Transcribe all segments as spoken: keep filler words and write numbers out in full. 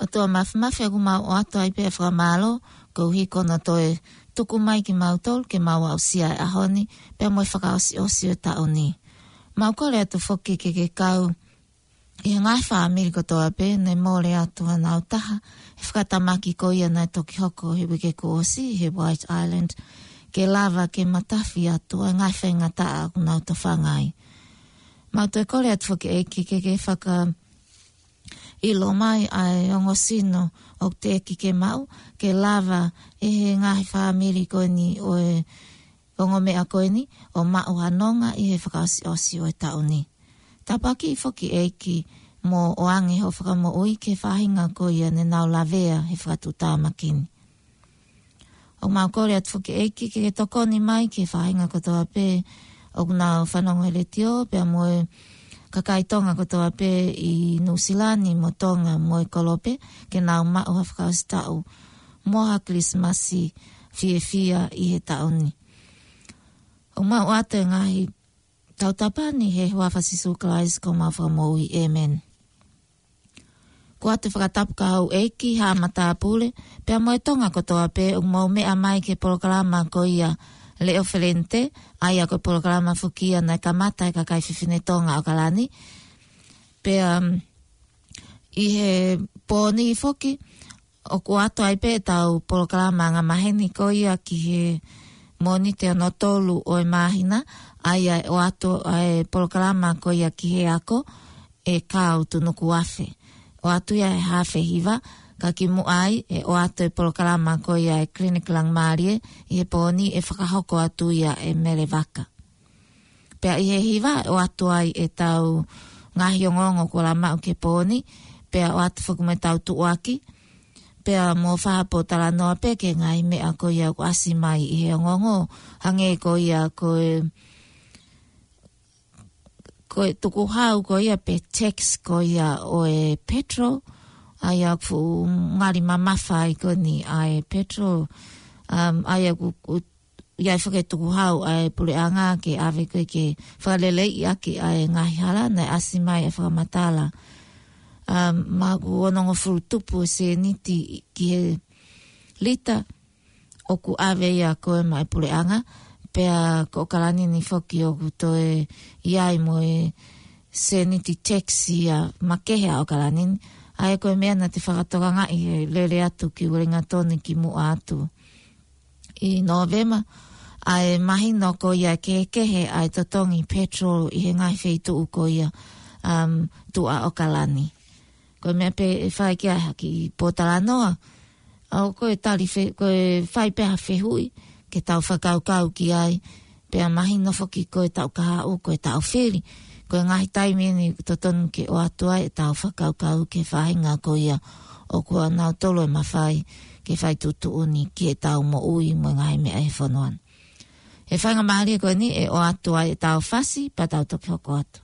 ʻOtua Māfimafi, ʻoku mau ʻoatu ai pē ʻa e fakamālō, koeʻuhi ko hono toe tuku mai kimautolu ke mau aʻusia e ʻaho ni, pea mo e fakaʻosiʻosi ʻo e taʻu ni. Mau kole atu foki ke ke kau ʻi he ngaahi fāmili kotoa pē naʻe mole atu hanau taha he fakatamaki ko ia naʻe toki hoko he uike kuo ʻosi he White Island, ke lava ke matafi atu ʻa e ngaahi faingataʻa ʻoku nau tofanga ai. Mau toe kole atu foki ʻEiki ke ke fakaʻilo mai ʻa e ongo sino ʻoku teʻeki ke maʻu, ke lava ʻe he ngaahi fāmili ko eni ʻo e ongo meʻa ko eni ʻo maʻu ha nonga ʻi he fakaʻosiʻosi ʻo e taʻu ni. Tāpuakiʻi foki ʻEiki mo ʻoange hoʻo fakamoʻui ki he faʻahinga ko ia naʻa nau lavea he fakatuʻutāmaki ni. ʻOku mau kole atu foki ʻEiki ke ke tokoni mai ki he faʻahinga kotoa pē ʻoku nau fanongo he letiō, pea mo e kakai Tonga kotoa pē ʻi Nuʻusila ni mo Tonga mo e kolope, ke nau maʻu ha fakaʻosi taʻu mo ha Kilisimasi fiefia ʻi he taʻu ni. ʻOku mau ʻoatu e ngaahi tautapa ni he huafa ʻo Sīsū Kalaisi ko homau Fakamoʻui. ʻĒmeni. Ko ʻeku fakatapu ki he ʻEiki, Haʻa Matāpule, pea mo e Tonga kotoa pē ʻoku mou meʻa mai ki he polokalama ko ia Leʻo Felente, ʻa ia ko e polokalama foki ia naʻe kamata ʻe he kakai fefine Tonga ʻAokalani. Pea, um, ʻi he pō ni foki, ʻoku ʻoatu ai pē ʻetau polokalama angamaheni ko ia ki he Mōnite hono tolu ʻo e māhina, ʻa ia ʻe ʻoatu ʻa e polokalama ko ia ki he ako ʻe Kāu Tunukuafe. ʻOatu ia he haafe hiva, ka kimuʻa ai ʻe ʻoatu e polokalama ko ia ʻa e Clinic Langmālie ʻi he pō ni, ʻe fakahoko atu ia ʻe Mele Vaka. Pea ʻi he hiva ʻe ʻoatu ai ʻetau ngaahi ongoongo kuo lava maʻu ki he pō ni, pea ʻoatu foki mo ʻetau tuʻuaki, pea mo ha pōtalanoa pē ki he ngaahi meʻa ko ia ʻoku ʻasi mai ʻi he ongoongo, hangē ko ia ko e, ko e tukuhau ko ia pe tax ko ia ʻo e petrol, ʻa ia ʻoku fuʻu ngali mamafa ai ko eni ʻa e petrol, um, ʻa ia ʻoku, ʻoku ʻi ai foki e tukuhau ʻa e puleʻanga ke ʻave ko ē ke fakaleleiʻi ʻaki ʻa e ngaahi hala naʻe ʻasi mai e fakamatala. Um, maʻu onongofulu tupu e sēniti ki he lita, ʻoku ʻave ia ko ē maʻa e puleʻanga, pea ko ʻAokalani ni foki ʻoku toe ʻi ai mo e sēniti tax ia makehe ʻa ʻAokalani ni. ʻA ia ko e meʻa naʻa te fakatokangaʻi he lele atu ki Uelingatoni kimuʻa atu ʻi Nōvema, ʻa e mahino ko ia kehekehe ʻa e totongi petrol ʻi he ngaahi feituʻu ko ia, um, tuʻa ʻAokalani. Ko e meʻa pē ʻe fai ki ai ha kiʻi pōtalanoa, ʻa ia ko e tali fe-, ko e fai pē ha fehuʻi ke tau fakakaukau ki ai, pea mahino foki ko e taʻu kahaʻu, ko e taʻu fili, ko e ngaahi taimi eni ʻoku totonu ke ʻoatu ai ʻetau fakakaukau ki he faʻahinga ko ia ʻoku ʻanautolu e mafai ke fai tuʻutuʻuni ki heʻetau moʻui mo e ngaahi meʻa ʻi he fonua ni. He faingamālie ko eni ʻe ʻoatu ai ʻetau fasi, pea tau toki hoko atu.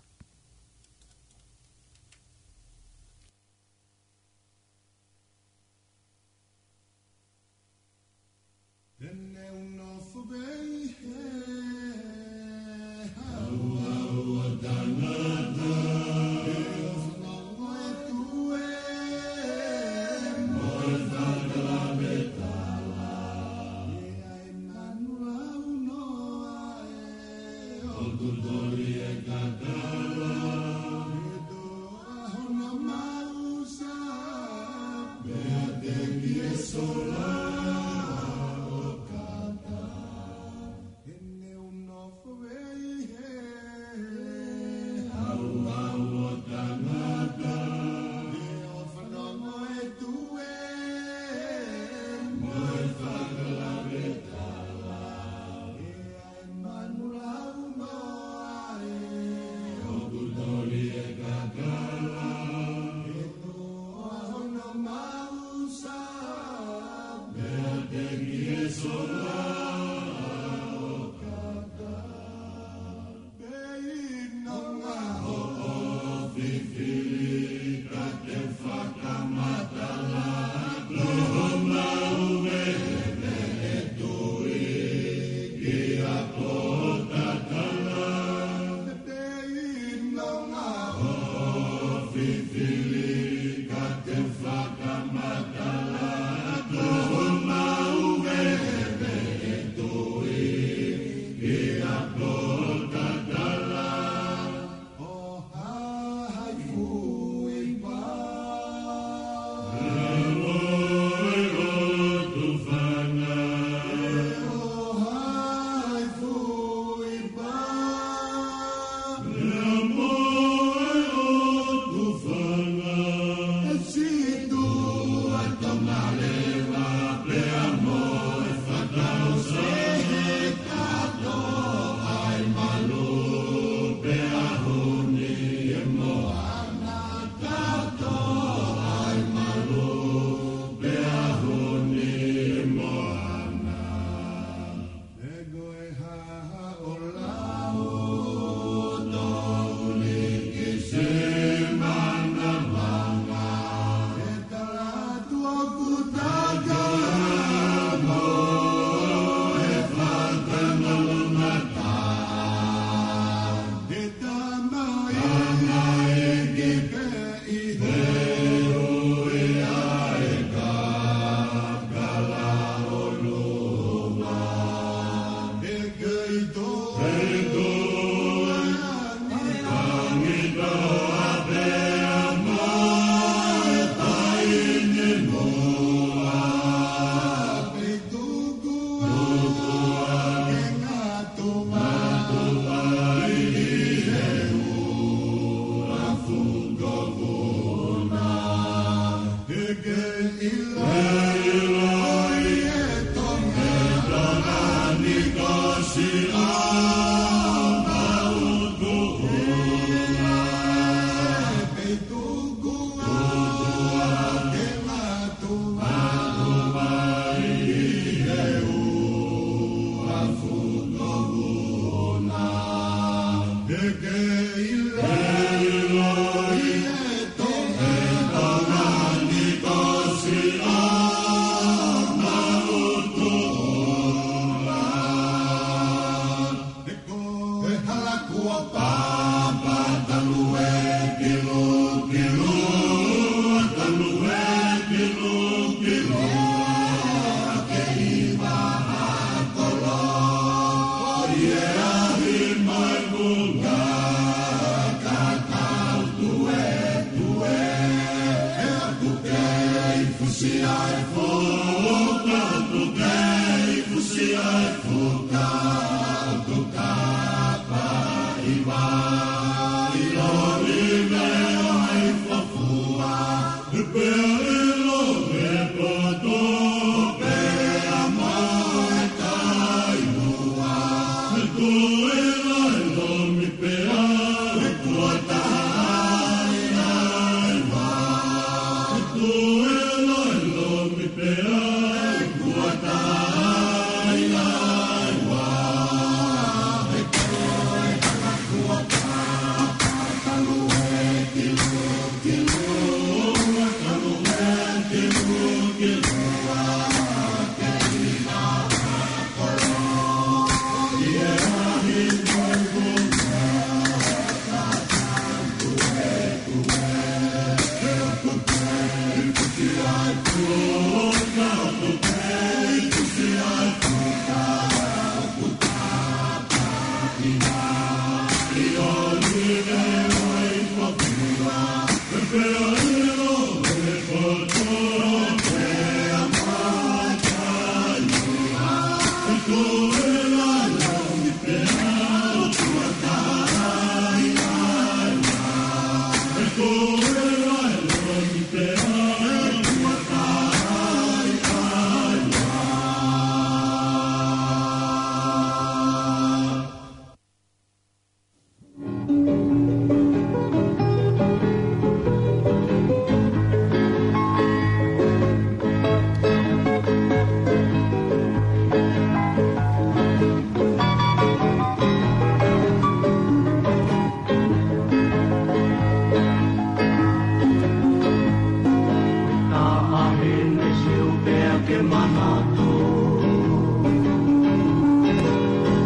Taʻahine siu pea ke manatu.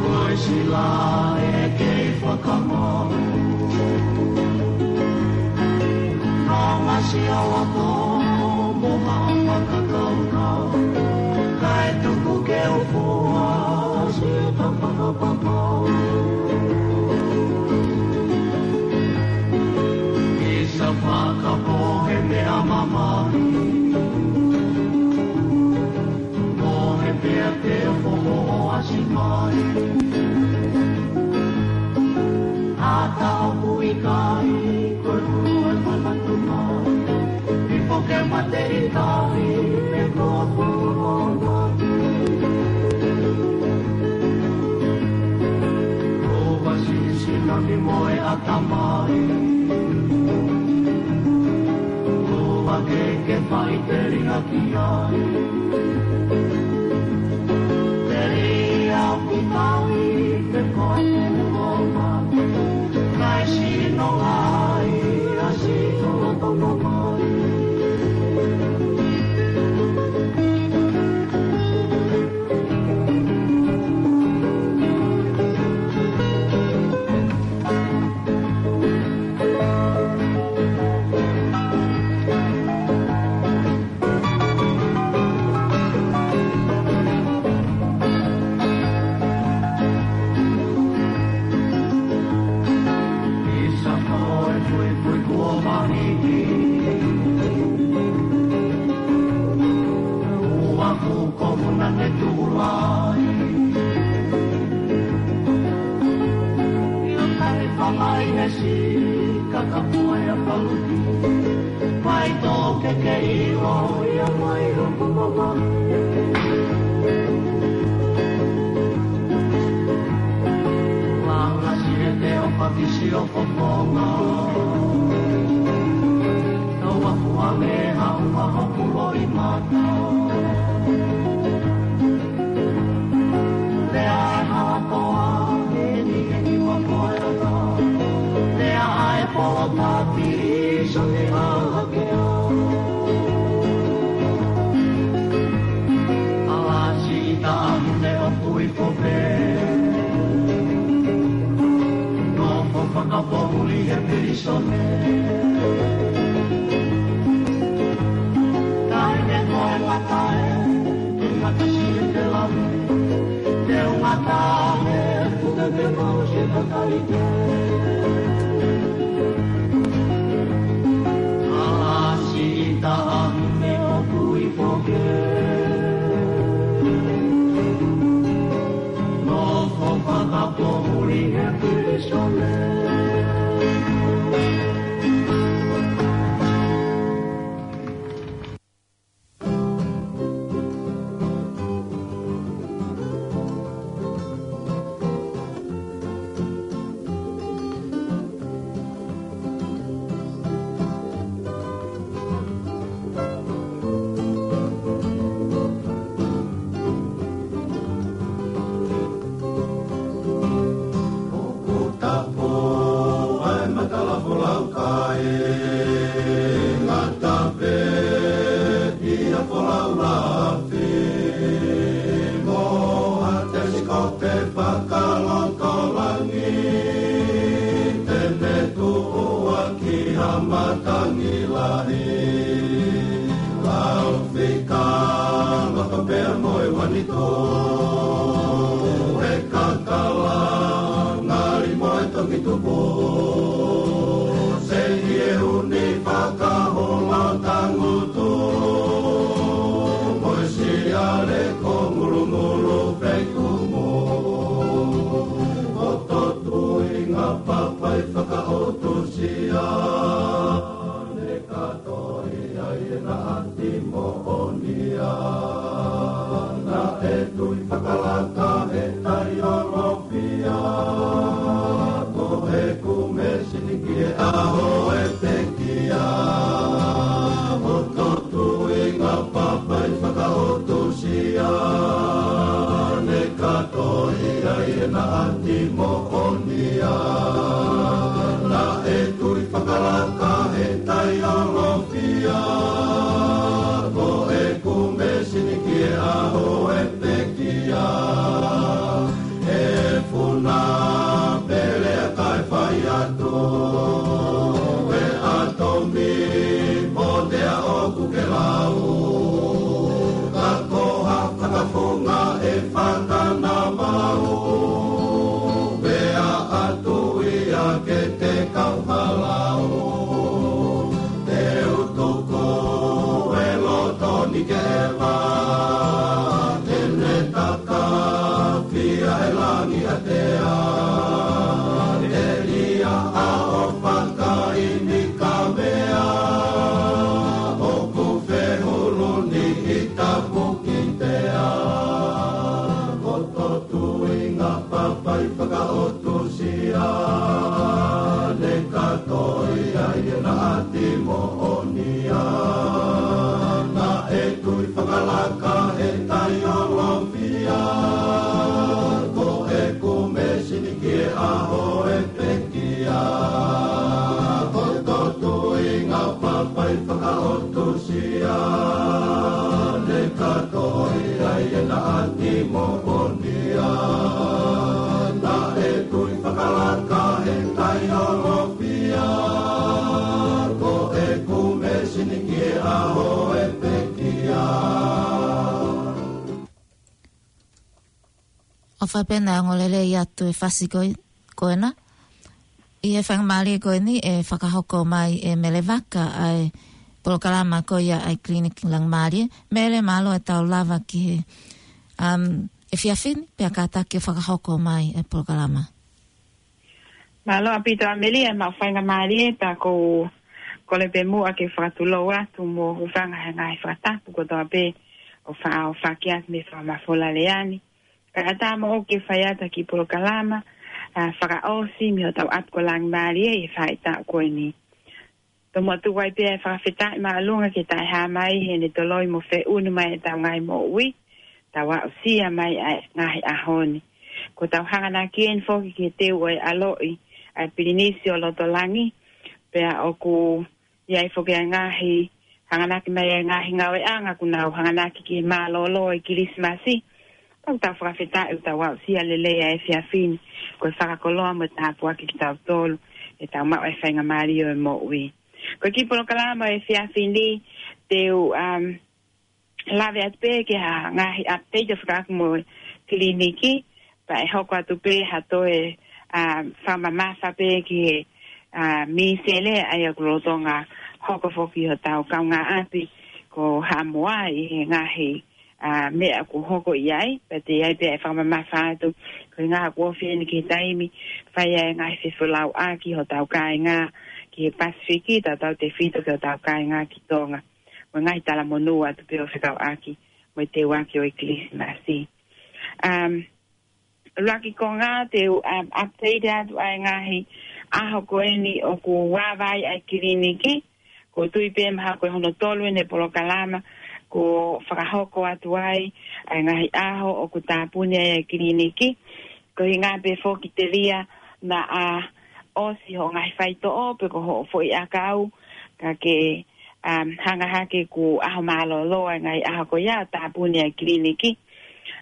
Ko e sila ʻe kei fakamau. Nonga siau ako mo haʻa fakakaukau. Kae tuku ke u fua si ka fakapapau. Isa fakapohe meʻa mamahi. Mohe pea te foho ʻo ʻasi mai. Ata ʻoku ʻikai, ko e kulu e manatu mai. Ipo ke mate ʻikai, me ko ʻoku ʻoʻona. Ko ʻoku ʻasi sila mi mo e ʻatamai. Ko ʻoku ke ke fai te ringa ki ai. Te ria ki tai te koe mo ma. Kai sino ai a si ko to no mai. Langa sirete o pakisi o kokonga. Tau aku a me hau a hoku loi mata. Lea e halakoa, eni, eni, wa koe ata. Lea e polo tapi, so ne hahakea. Ala si ita ahune o kui kope. Nofo fakapoʻuli he pilisone. Tae ne koe matae. Ke mata si e te lave. Te u mata he puke ke mau si e mata i te. Ala si ita ahune o kui kope. Nofo fakapoʻuli he pilisone. Hoku tapu ʻa e matala folau kai, ngata pē ʻi ha folau lafi, mo ha telesikope fakalotolahi, te ne tuʻu ʻaki ha matangi lahi. Lau fika loto pea mo e uanito, he kakala ngali mo e tongi tupu. Seʻi e uni fakahola tangutu, mo e siale ko ngulungulu feikumu. Ko totu inga papai fakaotusia. Ne ka toi ai e naʻa ti moʻonia. Naʻe tui fakalaka e tai o lofia. Ko heku mesini ki e ʻaho e pekia. Ko totu inga papai fakaotusia. Ne ka toi ai e naʻa ti moʻonia. Naʻe tui fakalaka e tai o lofia. Ko heku mesini ki e ʻaho e pekia. E funa pele a kai fai atu. E atomi mo te a oku ke lau. Ka ko ha fakafunga e fakana mau. Pea atu ia ke te kau halau. Te u tuku e loto ni ke va. Te ne taka fia e langi a te a. E lia a o fakaini ka mea. Oku fehulu ni i tapu ki te a. Ko totu inga papai fakaotusia. Ne ka toi ai e naʻa ti moʻonia. Naʻe tui fakalaka e tai o lofia. Ko heku mesini ki e ʻaho e pekia. Ko totu inga papai fakaotusia. Ne ka toi ai e naʻa ti moʻonia. Naʻe tui fakalaka e tai o lofia. Ko heku mesini ki e ʻaho e pekia. ʻOfa pē naʻe ongo lelei atu e fasi ko ē, ko ena. ʻI he faingamālie ko eni ʻe fakahoko mai ʻe Mele Vaka ʻa e polokalama ko ia ʻa e Clinic Langamalie. Mele, mālō e tau lava ki he, um, efiafi ni, pea kātaki ʻo fakahoko mai e polokalama. Mālō ʻaupito ʻa Mele, ʻa e maʻu faingamālie pea ʻoku ou Kole pē muʻa ke fakatulou atu mo hūfanga he ngaahi fakatapu kotoa pē ʻoku faʻa ʻohofaki atu mei he fakamafola lea ni. Kae ʻatā moʻoku ke fai atu ha kiʻi polokalama, ʻa, fakaʻosi mei hotau ʻapi ko Langimālie ʻi he faʻahitaʻu ko eni. Tomuʻa tuku ai pē ʻa e fakafetaʻi māʻolunga ki he Taʻehāmai heʻene toloi mo feʻunu mai ʻetau ngaahi moʻui, tau aʻusia mai ʻa e ngaahi ʻaho ni. Ko ʻetau hanganaki eni foki ki he teu ʻo e ʻaloʻi ʻa e Pilinisi ʻo Lotolangi, pea ʻoku ʻi ai foki ʻa e ngaahi hanganaki mai ʻa e ngaahi ngāueʻanga kuo nau hanganaki ki he mālōlō ʻo e Kilisimasi. Tau tau fakafetaʻi ʻoku tau aʻusia lelei ʻa e efiafi ni, ko e fakakoloa mo e tāpuaki kitautolu, ʻetau maʻu ʻa e faingamālie ʻo e moʻui. Ko e kiʻi polokalama ʻo e efiafi ni, te u, um, lave atu pē ki ha ngaahi update ʻo fekauʻaki mo e kiliniki, pea ʻe hoko atu pē ha toe, um, fakamamafa pē ki he, um, mīsele ʻa ia ʻoku lolotonga hoko foki ʻi hotau kaungāʻapi ko Haʻamoa ʻi he ngaahi, um, meʻa ʻoku hoko ʻi ai, pea te ʻi ai pē ʻa e fakamamafa atu, koeʻuhinga ʻoku ofi eni ki he taimi, fai ai e ngaahi fefolauʻaki hotau kāinga ki he Pasifiki, tautautefito ki hotau kāinga ki Tonga. Mo e ngaahi talamonū atu pē ʻo fekauʻaki mo e teuaki ʻo e Kilisimasi. Um, ʻuluaki konga te u, um, update atu ʻa e ngaahi ʻaho ko eni ʻoku ava ai ʻa e kiliniki. Ko u tui pē mahalo ko e hono tolu eni e polokalama kuo fakahoko atu ai ʻa e ngaahi ʻaho ʻoku tāpuni ai ʻa e kiliniki. Koeʻuhinga pē foki telia naʻa ʻosi hoʻo ngaahi faitoʻo pe ko hoʻo foʻi ʻakau, ka ke, um, hanga hake kuo ʻaho mālōlō ʻa e ngaahi ʻaho ko ia ʻo tāpuni ʻa e kiliniki.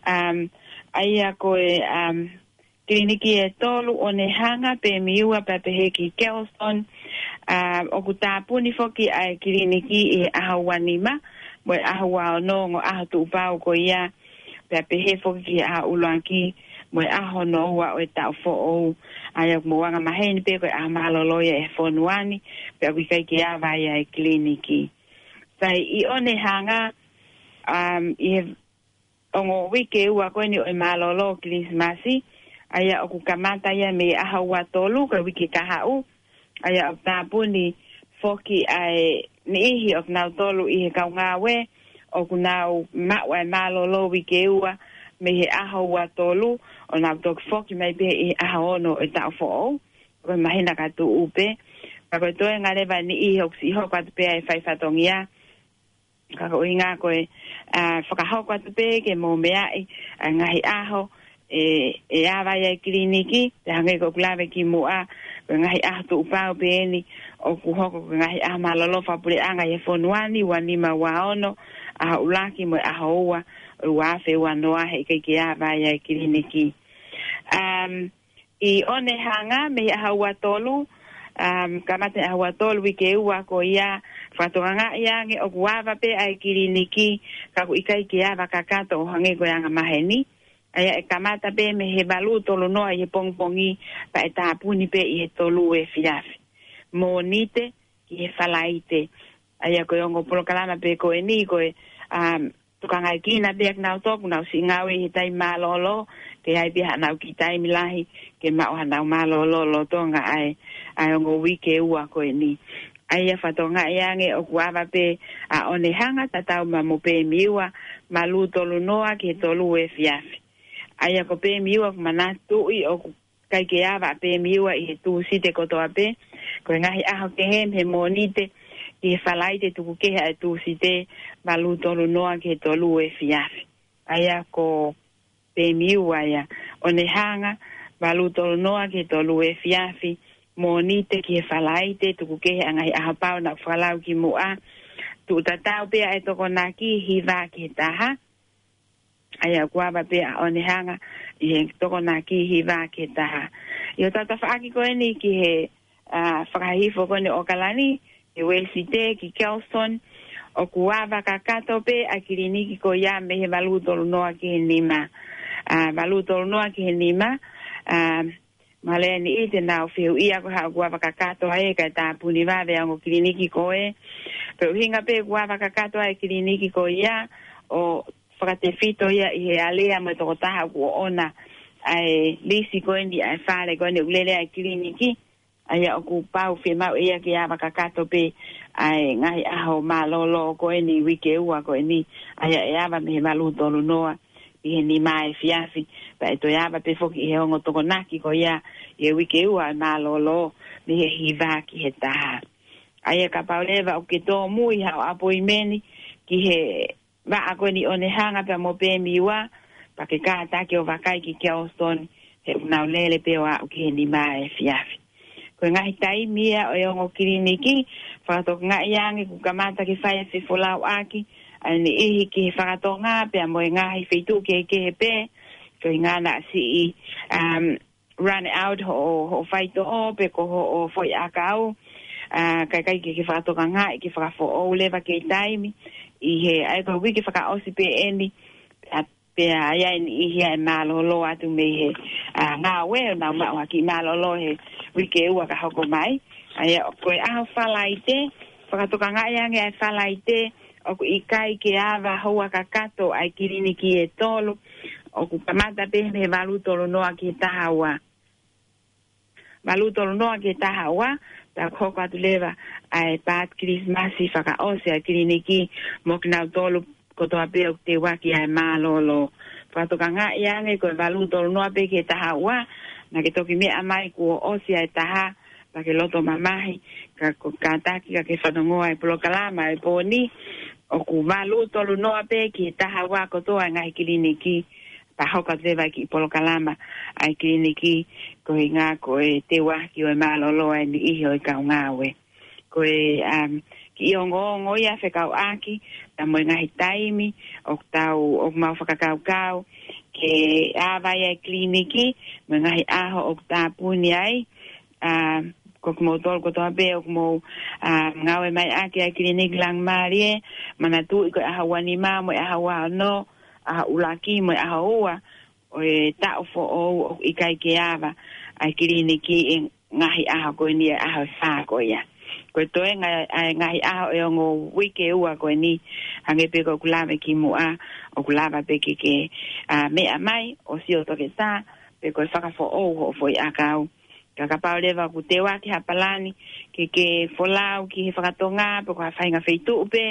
Um, ʻa ia ko e, um, kiliniki ʻe tolu, ʻOnehanga, Pemiua pea pehē ki Kelston, um, ʻoku tāpuni foki ʻa e kiliniki ʻi he ʻaho ua nima mo e ʻaho ua ono, ongo ʻaho tuʻupau ko ia, pea pehē foki ki he ʻaho ʻuluaki mo e ʻaho hono ua ʻo e taʻu foʻou, ʻa ia ʻoku mou angamaheni pē ko e ʻaho mālōlō ia ʻi he fonua ni, pea ʻoku ʻikai ke ava ai ʻa e kiliniki. Sai, ʻi ʻOnehanga, um, ʻi he ongo uike ua ko eni ʻo e mālōlō Kilisimasi, ʻa ia ʻoku kamata ia mei he ʻaho ua tolu ko e uike kahaʻu, ʻa ia ʻoku tāpuni foki ʻa e niʻihi ʻoku nau tolu ʻi he kau ngāue ʻoku nau maʻu ʻa e mālōlō uike ua mei he ʻaho ua tolu, ʻo nau toki foki mai pē ʻi he ʻaho ono ʻo e taʻu foʻou, ko e māhina ka tuʻu pē. Ka ko e toenga leva e niʻihi ʻoku siʻi hoko atu pē ʻa e fai fatongia, ka ko e ʻuhinga ko e, ʻa, fakahoko atu pē ke mou meaʻi ʻa e ngaahi ʻaho ʻe, ʻe ava ai ʻa e kiliniki, pea hangē ko ʻeku lave kimuʻa, ko e ngaahi ʻaho tuʻupau pē eni ʻoku hoko ko e ngaahi ʻaho mālōlō fakapuleʻanga ʻi he fonua ni, ua nima, ua ono, ʻaho ʻuluaki mo e ʻaho ua ʻo e ua afe ua noa, heʻikai ke ava ai ʻa e kiliniki. Um, ʻi ʻOnehanga mei he ʻaho ua tolu, um, kamata he ʻaho ua tolu uike ua ko ia, fakatokangaʻi ange ʻoku ava pē ʻa e kiliniki, ka ʻoku ʻikai ke ava kakato ʻo hangē ko e angamaheni. ʻA ia ʻe kamata pē mei he valu tolu noa ʻi he pongipongi, pea ʻe tāpuni pē ʻi he tolu efiafi. Mōnite ki he Falaite. ʻA ia ko e ongo polokalama pē ko eni ko e, um, tokangaekina pē ʻa kinautolu ʻoku nau siʻi ngāue ʻi he taimi mālōlō, ke ʻi ai pē haʻanau kiʻi taimi lahi ke maʻu haʻanau mālōlō lolotonga ʻa e, ʻa e ongo uike ua ko eni. ʻA ia fakatokangaʻi ange ʻoku ava pē ʻa ʻOnehanga tatau mo Pemiua, valu tolu noa ki he tolu efiafi. ʻA ia ko Pemiua ʻoku manatuʻi ʻoku ʻikai ke ava ʻa Pemiua ʻi he Tūsite kotoa pē. Ko e ngaahi ʻaho kehe mei he Mōnite ki he Falaite, tuku kehe ʻa e Tūsite, valu tolu noa ki he tolu efiafi. ʻA ia ko Pemiua ia. ʻOnehanga, valu tolu noa ki he tolu efiafi. Mōnite ki he Falaite, tuku kehe ʻa e ngaahi ʻaho pau naʻa ku fakalau kimuʻa. Tuʻu tatau pē ʻa e tokonaki, hiva ki he taha. ʻA ia ʻoku ava pē ʻa ʻOnehanga ʻi he tokonaki, hiva ki he taha. ʻI hotau tafaʻaki ko eni ki he, ʻa, fakahihifo ko eni ʻo ʻAokalani, he Uēsite ki Kelston, ʻoku ava kakato pē ʻa e kiliniki ko ia mei he valu tolu noa ki he nima. ʻA, valu tolu noa ki he nima, ʻa, mahalo ʻe niʻihi te nau fehuʻia ko e hā ʻoku ava kakato ai kae tāpuni vave ʻa e ongo kiliniki ko ē. Ko e ʻuhinga pē ʻoku ava kakato ai e kiliniki ko ia ʻo fakatefito ia ʻi he alea mo e tokotaha ʻoku ʻoʻona ʻa e lisi ko eni ʻa e fale ko eni ʻoku lele ai e kiliniki. ʻA ia ʻoku pau fiemaʻu ia ke ava kakato pē ʻa e ngaahi ʻaho mālōlō ko eni, uike ua ko eni, ʻa ia ʻe ava mei he valu tolu noa ki he nima efiafi, pea ʻe toe ava pē foki ʻi he ongo Tokonaki ko ia ʻi he uike ua ʻa e mālōlō mei he hiva ki he taha. ʻA ia kapau leva ʻoku ke tōmui haʻo ʻapoimeni ki he vaʻa ko eni ʻo Onehunga pea mo Pemiwa, pea ke kātaki ʻo vakai ki Kelston, he ʻoku nau lele pē ʻo aʻu ki he nima efiafi. Ko e ngaahi taimi ia ʻo e ongo kiliniki, fakatokangaʻi ange kuo kamata ke fai e fefolauʻaki ʻa e niʻihi ki he fakatonga pea mo e ngaahi feituʻu kehekehe pē, ko e ʻuhinga naʻa siʻi, um, run out hoʻo, hoʻo faitoʻo pe ko hoʻo foʻi ʻakau, ʻa, kae ʻikai ke, ke fakatokangaʻi, ke fakafoʻou leva ki taimi, ʻi he, ʻa ia ko e uike fakaʻosi pē eni, ʻa, pea ʻi ai e niʻihi ʻe mālōlō atu mei he, ʻa, ngāue ʻo nau maʻu ha kiʻi mālōlō he uike ua ka hoko mai. ʻA ia ko e ʻaho Falaite, fakatokangaʻi ange ʻa e Falaite, ʻoku ʻikai ke ava houa kakato ʻa e kiliniki ʻe tolu, ʻoku kamata pē mei he valu tolu noa ki he taha ua. Valu tolu noa ki he taha ua, pea ʻoku hoko atu leva ʻa e paati Kilisimasi fakaʻosi ʻa e kiliniki mo kinautolu kotoa pē ʻoku teuaki ʻa e mālōlō. Fakatokangaʻi ange ko e valu tolu noa pē ki he taha ua, naʻa ke toki meʻa mai kuo ʻosi ʻa e taha, pea ke loto mamahi, ka ko e kātaki ka ke fanongoa e polokalama ʻo e pō ni, ʻoku valu tolu noa pē ki he taha ua kotoa e ngaahi kiliniki, pea hoko atu leva e kiʻi polokalama ʻa e kiliniki, ko e ʻuhinga ko e teuaki ʻo e mālōlō ʻa e niʻihi ʻo e kau ngāue. Ko e, um, kiʻi ongoongo ia fekauʻaki pea mo e ngaahi taimi ʻoku tau, ʻoku mau fakakaukau ke ava ai e kiliniki, mo e ngaahi ʻaho ʻoku tāpuni ai, ʻa, ko kimoutolu kotoa pē ʻoku mou, ʻa, ngāue mai ʻaki ʻa e kiliniki Langimālie, manatuʻi ko e ʻaho ua nima mo e ʻaho ua ono, ʻaho ʻuluaki mo e ʻaho ua ʻo e taʻu foʻou, ʻoku ʻikai ke ava ʻa e kiliniki ʻi he ngaahi ʻaho ko eni, ʻa e ʻaho ʻe fā ko ia. Ko e toenga ʻa e ngaahi ʻaho ʻo e ongo uike ua ko eni, hangē pē ko ʻeku lave kimuʻa, ʻoku lava pē ke ke, ʻa, meʻa mai ʻo sio toketā, pe ko e fakafoʻou hoʻo foʻi ʻakau. Ka kapau leva ʻoku teuaki ha palani ke ke folau ki he fakatonga, pe ko ha faʻahinga feituʻu pē,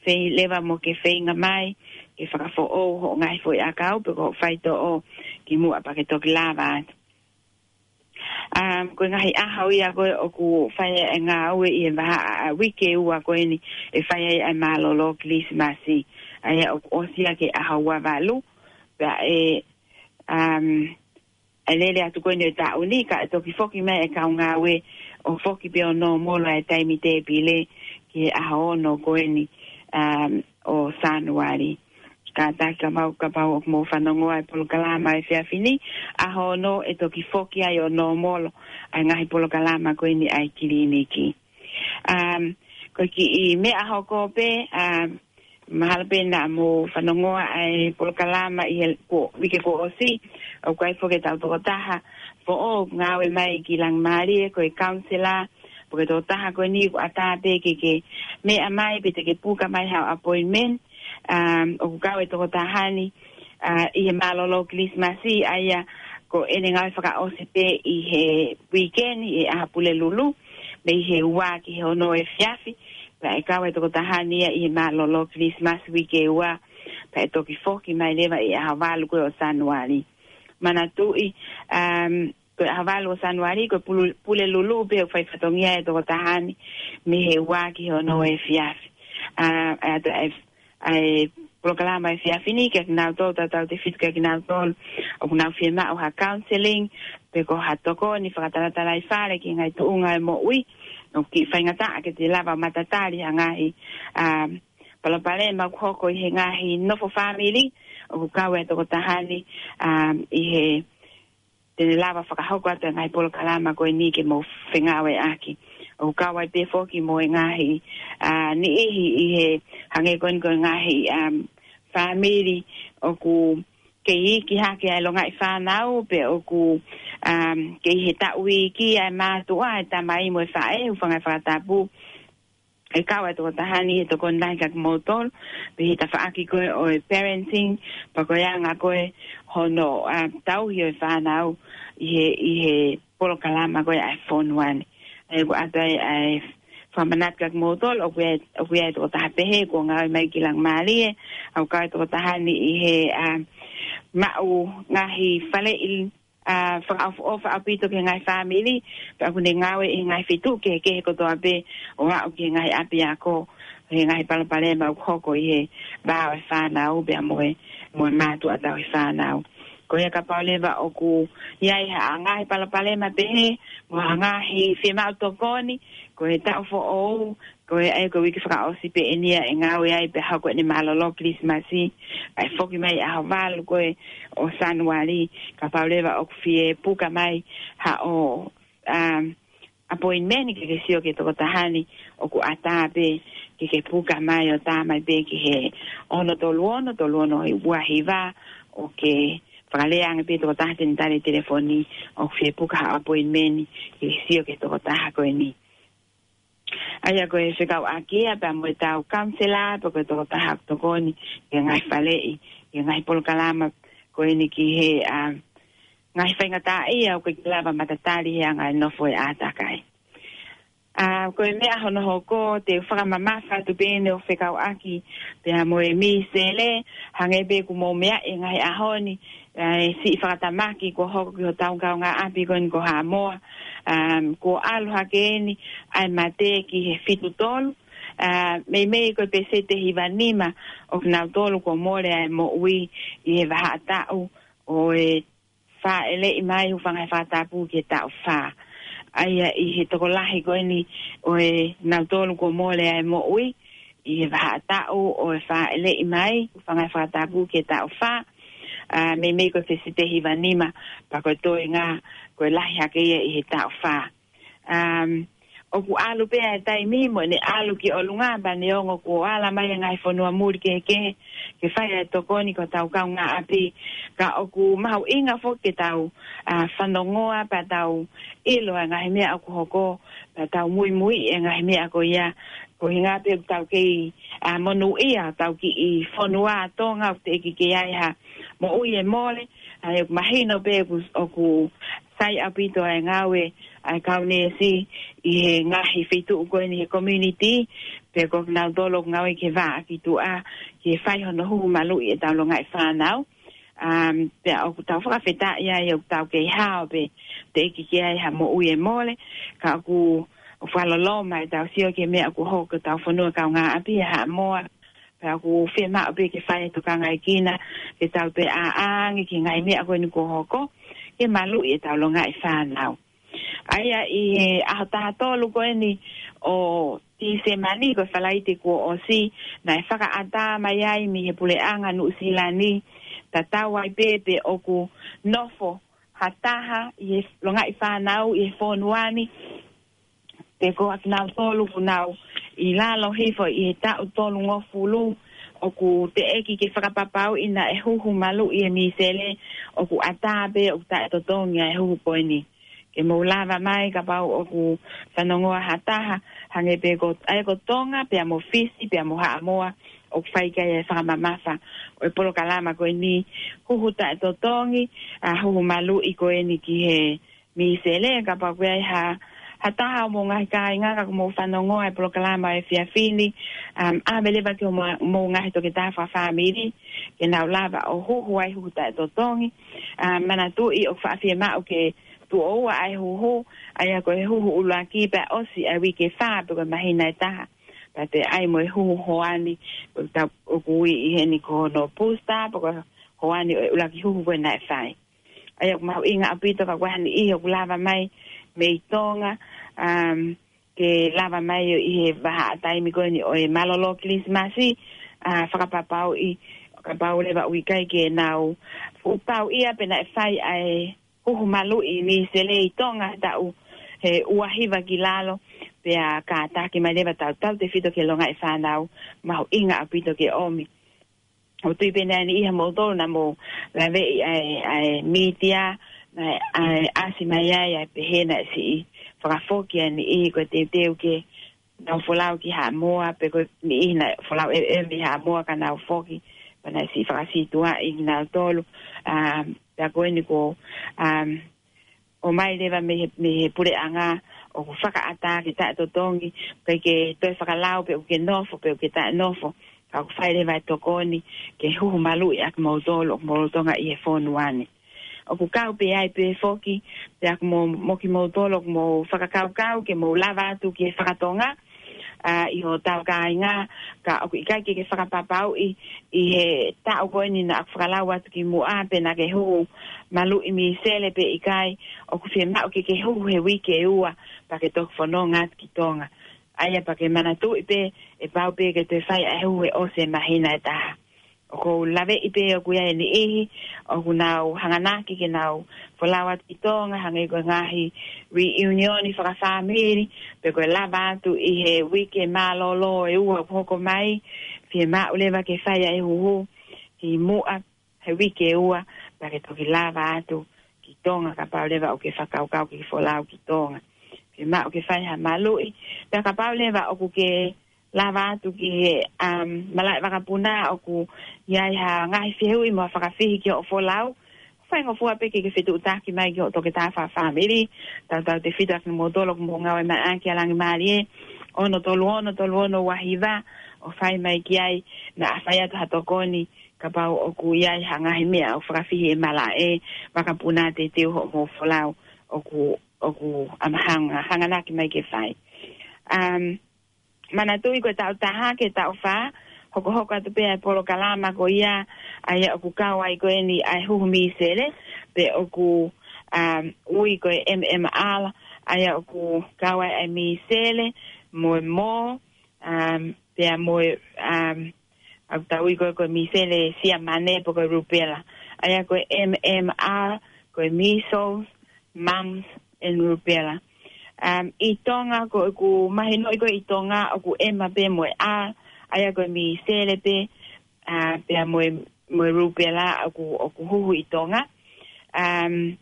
feinga leva mo ke feinga mai ke fakafoʻou hoʻo ngaahi foʻi ʻakau pe ko hoʻo faitoʻo kimuʻa pea ke toki lava atu. Um, ko e ngaahi ʻaho ia ko ē ʻoku fai ai e ngāue ʻi he vahaʻa ʻa e uike ua ko eni, ʻe fai ai ʻa e mālōlō Kilisimasi, ʻa ia ʻoku ʻosi ia ki he ʻaho ua valu, pea ʻe, um, ʻe lele atu ko eni ʻo e taʻu ni, kae toki foki mai e kau ngāue ʻo foki pē ʻo nōmolo e taimi tēpile ki he ʻaho ono ko eni, um, ʻo Sānuali. Kātaki kapau, kapau ʻoku mou fanongoa e polokalama ʻo e efiafi ni, ʻaho ono ʻe toki foki ai ʻo nōmolo ʻa e ngaahi polokalama ko eni ʻa e kiliniki. Um, ko e kiʻi meʻa hoko pē, um, mahalo pē naʻa mou fanongoa ʻa e polokalama ʻi he kuo, uike kuo ʻosi, ʻoku ʻi ai foki ʻetau tokotaha foʻou ʻoku ngāue mai ki Langimālie, ko e counselor, pea ko e tokotaha ko eni ʻoku ʻatā pē ke ke meʻa mai pe te ke puka mai haʻo appointment, um, ʻoku kau e tokotaha ni, ʻa, ʻi he mālōlō Kilisimasi, ʻa ia ko ʻene ngāue fakaʻosi pē ʻi he weekend, ʻi he ʻaho Pulelulu, mei he ua ki he ono efiafi, pea ʻe kau e tokotaha ni ia ʻi he mālōlō Kilisimasi uike ua, pea ʻe toki foki mai leva ʻi he ʻaho valu ko ē ʻo Sānuali. Manatuʻi, um, ko e ʻaho valu ʻo Sānuali, ko e Pulu-, Pulelulu pē ʻoku fai fatongia e tokotaha ni, mei he ua ki he ono efiafi. ʻA, ʻa, ʻa, ʻa e polokalama ʻo e efiafi ni, kiate kinautolu, tautautefito kiate kinautolu ʻoku nau fiemaʻu ha counselling, pe ko ha tokoni fakatalatalai fale ki he ngaahi tuʻunga ʻo e moʻui, ʻoku kiʻi faingataʻa ke te lava matatali ha ngaahi, um, palopalema ʻoku hoko ʻi he ngaahi nofo fāmili, ʻoku kau e tokotaha ni, um, ʻi he te ne lava fakahoko atu e ngaahi polokalama ko eni ke mou fengāueʻaki. ʻOku kau ai pē foki mo e ngaahi, ʻa, niʻihi ʻi he hangē ko eni ko e ngaahi, um, fāmili ʻoku kei iiki hake ʻa e longaʻi fānau pe ʻoku, um, kei he taʻu iiki ʻa e mātuʻa, ʻa e tamai mo e faʻē, hūfanga he fakatapu. ʻE kau e tokotaha ni he tokoni lahi kiate kimoutolu, pea ʻi he tafaʻaki ko ē ʻo e parenting, pea ko e anga ko ē hono, um, tauhi ʻo e fānau ʻi he, ʻi he polokalama ko ē ʻa e fonua ni. ʻA ia ʻoku ʻoatu ai ʻa e fakamanatu kia kimoutolu, ʻoku ʻi ai, ʻoku ʻi ai e tokotaha pehē kuo ngāue mai ki Laumālie, ʻoku kau e tokotaha ni ʻi he, ʻa, maʻu ngaahi faleʻi, ʻa, fakaʻofoʻofa ʻaupito ki he ngaahi fāmili, pea ʻoku ne ngāue ʻi he ngaahi feituʻu kehekehe kotoa pē ʻo aʻu ki he ngaahi ʻapiako, he ngaahi palopalema ʻoku hoko ʻi he vā ʻo e fānau pea mo e, mo e mātuʻa tauhi fānau. Ko ia kapau leva ʻoku ʻi ai ha ngaahi palopalema pehē, mo ha ngaahi fiemaʻu tokoni, ko e taʻu foʻou, ko e ʻai ko e uike fakaʻosi pē eni ia ʻe ngāue ai pea hoko ʻene mālōlō Kilisimasi, ʻa e foki mai ʻaho valu ko ē ʻo Sānuali, kapau leva ʻoku fie puka mai haʻo, um, appointment ke ke sio ki he tokotaha ni, ʻoku ʻatā pē ke ke puka mai ʻo tā mai pē ki he ono tolu ono, tolu ono ua hiva, ʻo ke fakalea ange pē tokotaha te ne tali telefoni, ʻoku fie puka haʻo appointment ke ke sio ki he tokotaha ko eni. ʻA ia ko e fekauʻaki ia pea mo e tau counselor, pea ko e tokotaha ʻoku tokoni ki he ngaahi faleʻi, ki he ngaahi polokalama ko eni ki he, ʻa, ngaahi faingataʻaʻia ʻoku ʻikai ke lava matatali he anga e nofo e ʻātakai. ʻA, ko e meʻa hono hoko, te u fakamamafa atu pē eni ʻo fekauʻaki pea mo e Misele, hangē pē kuo mou meaʻi he ngaahi ʻaho ni, ʻa e siʻi fakatamaki kuo hoko ki hotau kaungāʻapi ko eni ko Haʻamoa, um, kuo ʻalu hake eni ʻa e mate ki he fitu tolu, ʻa, meimei ko e peseti ʻe hiva nima ʻo kinautolu kuo mole ʻa e moʻui ʻi he vahaʻa taʻu ʻo e fāʻeleʻi mai, hūfanga he fakatapu ki he taʻu fā. ʻA ia ʻi he tokolahi ko eni ʻo e nautolu kuo mole ʻa e moʻui ʻi he vahaʻa taʻu ʻo e fāʻeleʻi mai, hūfanga he fakatapu ki he taʻu fā, ʻa, meimei ko e peseti ʻe hiva nima, pea ko e toenga ko e lahi hake ia ʻi he taʻu fā. Um, ʻoku ʻalu pē ʻa e taimi mo ʻene ʻalu ki ʻolunga, pea neongo kuo ala mai e ngaahi fonua muli kehekehe ke fai ʻa e tokoni ki hotau kaungāʻapi, ka ʻoku mahuʻinga foki ke tau, ʻa, fanongoa pea tau ʻilo ʻa e ngaahi meʻa ʻoku hoko, pea tau muimui e ngaahi meʻa ko ia, koeʻuhinga pē ʻoku tau kei, ʻa, monūʻia hotau kiʻi fonua Tonga ʻoku teʻeki ke ʻi ai ha moʻui ʻe mole, ʻa ia ʻoku mahino pē ʻoku, ʻoku sai ʻaupito ʻa e ngāue ʻa e kau neesi ʻi he ngaahi feituʻu ko eni he community, pea ko kinautolu ʻoku ngāue ki he vā ʻakituʻa, ke fai hono huhu maluʻi ʻetau longaʻi fānau. Um, pea ʻoku tau fakafetaʻi ai ʻoku tau kei hao pē, teʻeki ke ʻi ai ha moʻui ʻe mole, ka ʻoku, ʻoku fakaloloma ʻetau sio ki he meʻa ʻoku hoko ki hotau fonua kaungāʻapi ʻa Haʻamoa, pea ʻoku fiemaʻu pē ke fai e tokangaekina, ke tau toe ʻā ange ki he ngaahi meʻa ko eni kuo hoko, ke maluʻi ʻetau longaʻi fānau. ʻA ia ʻi he ʻaho taha tolu ko eni ʻo Tīsema ni, ko e Falaite kuo ʻosi, naʻe fakaʻatā mai ai mei he puleʻanga Nuʻusila ni, tatau ai pē pe ʻoku nofo ha taha ʻi he longaʻi fānau ʻi he fonua ni, pe ko kinautolu ʻoku nau ʻi lalo hifo ʻi he taʻu tolungofulu, ʻoku teʻeki ke fakapapauʻi naʻe huhu maluʻi e misele, ʻoku ʻatā pē ʻoku taʻetotongi ʻa e huhu ko eni. Ke mou lava mai kapau ʻoku fanongoa ha taha, hangē pē ko, ʻa ia ko Tonga, pea mo Fisi, pea mo Haʻamoa, ʻoku fai ki ai e fakamamafa ʻo e polokalama ko eni, huhu taʻetotongi, ʻa, huhu maluʻi ko eni ki he misele, kapau ʻoku ʻi ai ha, ha taha ʻo mou ngaahi kāinga ka ʻoku mou fanongoa e polokalama ʻo e efiafi ni, um, ʻave leva ki homou, mou ngaahi toketā fakafāmili, ke nau lava ʻo huhu ʻa e huhu taʻetotongi, um, manatuʻi ʻoku faʻa fiemaʻu ke tuʻo ua ʻa e huhu, ʻa ia ko e huhu ʻuluaki pea ʻosi ʻa e uike fā pe ko e māhina ʻe taha. Pea toe ʻai mo e huhu hoani, ko e tau ʻoku ui ʻi heni ko hono booster, pe ko e hoani ʻo e ʻuluaki huhu ko ē naʻe fai. ʻA ia ʻoku mahuʻinga ʻaupito kapau ko ha niʻihi ʻoku lava mai mei Tonga, um, ke lava mai ʻo ʻi he vahaʻa taimi ko eni ʻo e mālōlō Kilisimasi, ʻa, fakapapauʻi, kapau leva ʻoku ʻikai ke nau fuʻu pau ia pe naʻe fai ʻa e huhu maluʻi misele ʻi Tonga he taʻu ʻe ua hiva ki lalo, pea kātaki mai leva tautautefito ki he longaʻi fānau, mahuʻinga ʻaupito ke ʻomi. ʻOku ou tui pē naʻe ʻi ai e niʻihi ʻiate kimoutolu naʻa mou laveʻi ʻa e, ʻa e mītia, naʻe, ʻa e ʻasi mai ai, ʻa e pehē naʻe siʻi fakafoki ʻa e niʻihi ko e teuteu ke nau folau ki Haʻamoa, pe ko e niʻihi naʻe folau ʻe, ʻe mei Haʻamoa ka nau foki, pea naʻe siʻi fakasītuʻaʻi kinautolu, um, pea ko eni ko, um, ʻomai leva mei he, mei he puleʻanga ʻoku fakaʻatā ke taʻetotongi, ʻikai ke toe fakalau pe ʻoku ke nofo, pe ʻoku ke taʻenofo, ka ʻoku fai leva e tokoni ke huhu maluʻi ʻa kimoutolu ʻoku mou lolotonga ʻi he fonua ni. ʻOku kau pē ai pē foki, pea ʻoku mou, mo kimoutolu ʻoku mou fakakaukau ke mou lava atu ki he fakatonga, ʻa, ʻi hotau kāinga, ka ʻoku ʻikai ke ke fakapapauʻi ʻi he taʻu ko eni naʻa ku fakalau atu kimuʻa pe naʻa ke huhu maluʻi misele pe ʻikai, ʻoku fiemaʻu ke ke huhu he uike ʻe ua pea ke toki fononga atu ki Tonga. ʻA ia pea ke manatuʻi pē, ʻe pau pē ke toe fai ʻa e huhu ʻe ʻosi e māhina ʻe taha. ʻOku ou laveʻi pē ʻoku ʻi ai e niʻihi ʻoku nau hanganaki ke nau folau atu ki Tonga, hangē ko e ngaahi reunion fakafāmili, pe ko e lava atu ʻi he uike mālōlō ʻe ua ʻoku hoko mai, fiemaʻu leva ke fai ʻa e huhu kimuʻa he uike ʻe ua, pea ke toki lava atu ki Tonga kapau leva ʻoku ke fakakaukau ke folau ki Tonga. Fiemaʻu ke fai ha maluʻi, pea kapau leva ʻoku ke lava atu ki he, um, malaʻe vakapuna ʻoku ʻi ai ha ngaahi fehuʻi mo ha fakafihi ki hoʻo folau, faingofua pē ke ke fetuʻutaki mai ki hoʻo toketā fakafāmili, tautautefito ʻa kimoutolu ʻoku mou ngāue mai ʻaki ʻa Langi Mālie, ono tolu ono tolu ono ua hiva, ʻo fai mai ki ai, naʻa fai atu ha tokoni, kapau ʻoku ʻi ai ha ngaahi meʻa ʻoku fakafihi ʻe malaʻe vakapuna teuteu hoʻomou folau ʻoku, ʻoku ʻamahanga, hanganaki mai ke fai. Um, Manatuʻi ko e taʻu taha ki he taʻu fā, hokohoko atu pē ʻa e polokalama ko ia, ʻa ia ʻoku kau ai ko eni ʻa e huhu misele, pe ʻoku, um, ui ko e M M R, ʻa ia ʻoku kau ai ʻa e misele, mo e mō, um, pea mo e, um, ʻoku tau ui ko e, ko e misele siamane pe ko e rupela. ʻA ia ko e M M R, ko e measles, mumps, and rubella. Um, ʻi Tonga, ko ʻeku mahinoʻi ko ē ʻi Tonga, ʻoku M pē mo e R, ʻa ia ko e misele pē, uh, pea mo e, mo e rupela ʻoku, ʻoku huhu ʻi Tonga. Um,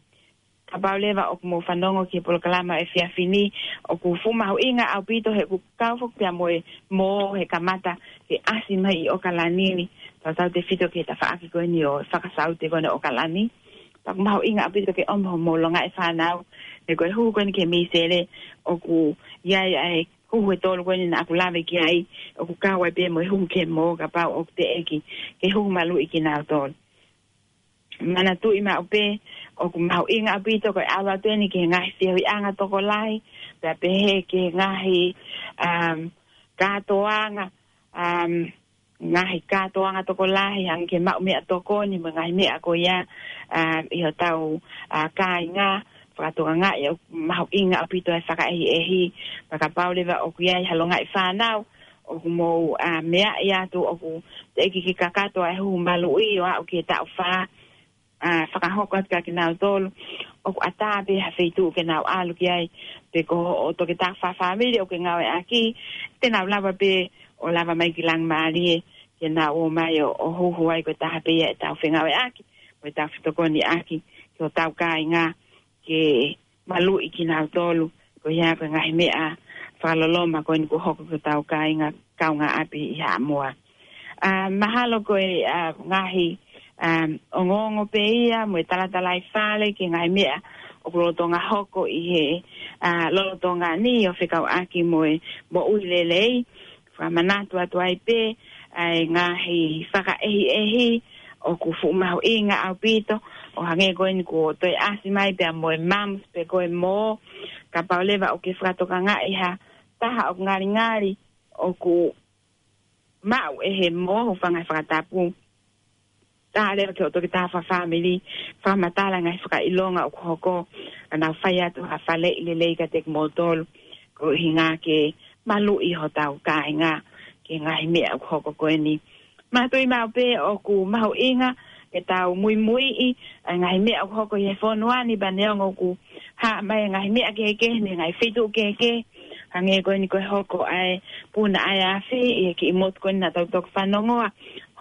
kapau leva ʻoku mou fanongo ki he polokalama ʻo e efiafi ni, ʻoku fuʻu mahuʻinga ʻaupito he ʻoku kau foki pea mo e mō he kamata ke ʻasi mai ʻi ʻOkalani ni, tautautefito ki he tafaʻaki ko eni ʻo e fakasaute ko eni ʻo ʻOkalani. Pea ʻoku mahuʻinga ʻaupito ke ʻomai hoʻomou longaʻi fānau, he ko e huhu ko eni ki he misele, ʻoku ʻi ai ʻa e huhu ʻe tolu ko eni naʻa ku lave ki ai, ʻoku kau ai pē mo e huhu ki he mō kapau ʻoku teʻeki ke huhu maluʻi kinautolu. Manatuʻi maʻu pē, ʻoku mahuʻinga ʻaupito ko e ʻalu atu eni ki he ngaahi feohiʻanga tokolahi, pea pehē ki he ngaahi, um, kātoanga, um, ngaahi kātoanga tokolahi, hangē ki he maʻu meʻatokoni, mo e ngaahi meʻa ko ia, um, ʻi hotau, uh, kāinga, fakatokangaʻi ʻoku mahuʻinga ʻaupito e fakaʻehiʻehi, pea kapau leva ʻoku ʻi ai ha longaʻi fānau, ʻoku mou, uh, meaʻi atu ʻoku teʻeki ke kakato ʻa e huhu maluʻi ʻo aʻu ki he taʻu fā, uh, fakahoko atu kia kinautolu, ʻoku ʻatā pē ha feituʻu ke nau ʻalu ki ai, pe ko hoʻo toketā fakafāmili ʻoku ke ngāueʻaki, te nau lava pē ʻo lava mai ki Langi Mālie, ke nau ō mai ʻo, ʻo huhu ai ko e taha pē ia ʻetau fengāueʻaki, ko ʻetau fetokoniʻaki, ki hotau kāinga, ke maluʻi kinautolu, ko ia ko e ngaahi meʻa fakaloloma ko eni kuo hoko ki hotau kāinga kaungāʻapi ʻi Haʻamoa. Uh, mahalo ko e, uh, ngaahi, um, ongoongo pē ia, mo e talatalaifale, ki he ngaahi meʻa ʻoku lolotonga hoko ʻi he, uh, lolotonga ni ʻo fekauʻaki mo e moʻui lelei, fakamanatu atu ai pē, ʻa e ngaahi fakaʻehiʻehi, ʻoku fuʻu mahuʻinga ʻaupito, ʻo hangē ko eni kuo toe ʻasi mai pea mo e mumps pe ko e mō, kapau leva ʻoku ke fakatokangaʻi ha taha ʻoku ngalingali, ʻoku maʻu ʻe he mō, hūfanga he fakatapu. Tala leva ki hoʻo toketā fakafāmili, fakamatala ngaahi fakaʻilonga ʻoku hoko, ka nau fai atu ha faleʻi lelei kiate kimoutolu, ko e ʻuhinga ke maluʻi hotau kāinga, ki he ngaahi meʻa ʻoku hoko ko eni. Manatuʻi maʻu pē ʻoku mahuʻinga ke tau muimuiʻi ʻa e ngaahi meʻa ʻoku hoko ʻi he fonua ni, pea neongo ʻoku hā mai e ngaahi meʻa kehekehe mei he ngaahi feituʻu kehekehe, hangē ko eni ko e hoko ʻa e puna ʻa e afi ʻi he kiʻi motu ko eni naʻa tau toki fanongoa,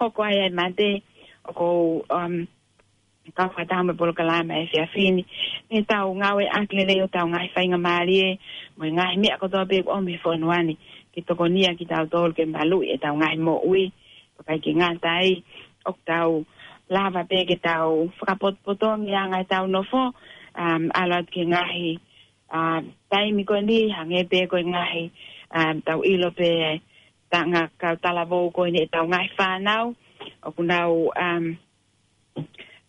hoko ai ʻa e mate, ʻoku ou, um, kau fakataha mo e polokalama ʻo e efiafi ni, ke tau ngāueʻaki lelei hotau ngaahi faingamālie, mo e ngaahi meʻa kotoa pē ʻoku ʻomi he fonua ni, ke tokonia kitautolu ke maluʻi ʻetau ngaahi moʻui, pea ʻikai ke ngata ai, ʻoku tau lava pē ke tau fakapotopotongi ʻa e anga ʻetau nofo, um, ʻalu atu ki he ngaahi, um, taimi ko eni, hangē pē ko e ngaahi, um, tau ʻilo pē, tangata kau talavou ko eni ʻetau ngaahi fānau, ʻoku nau, um,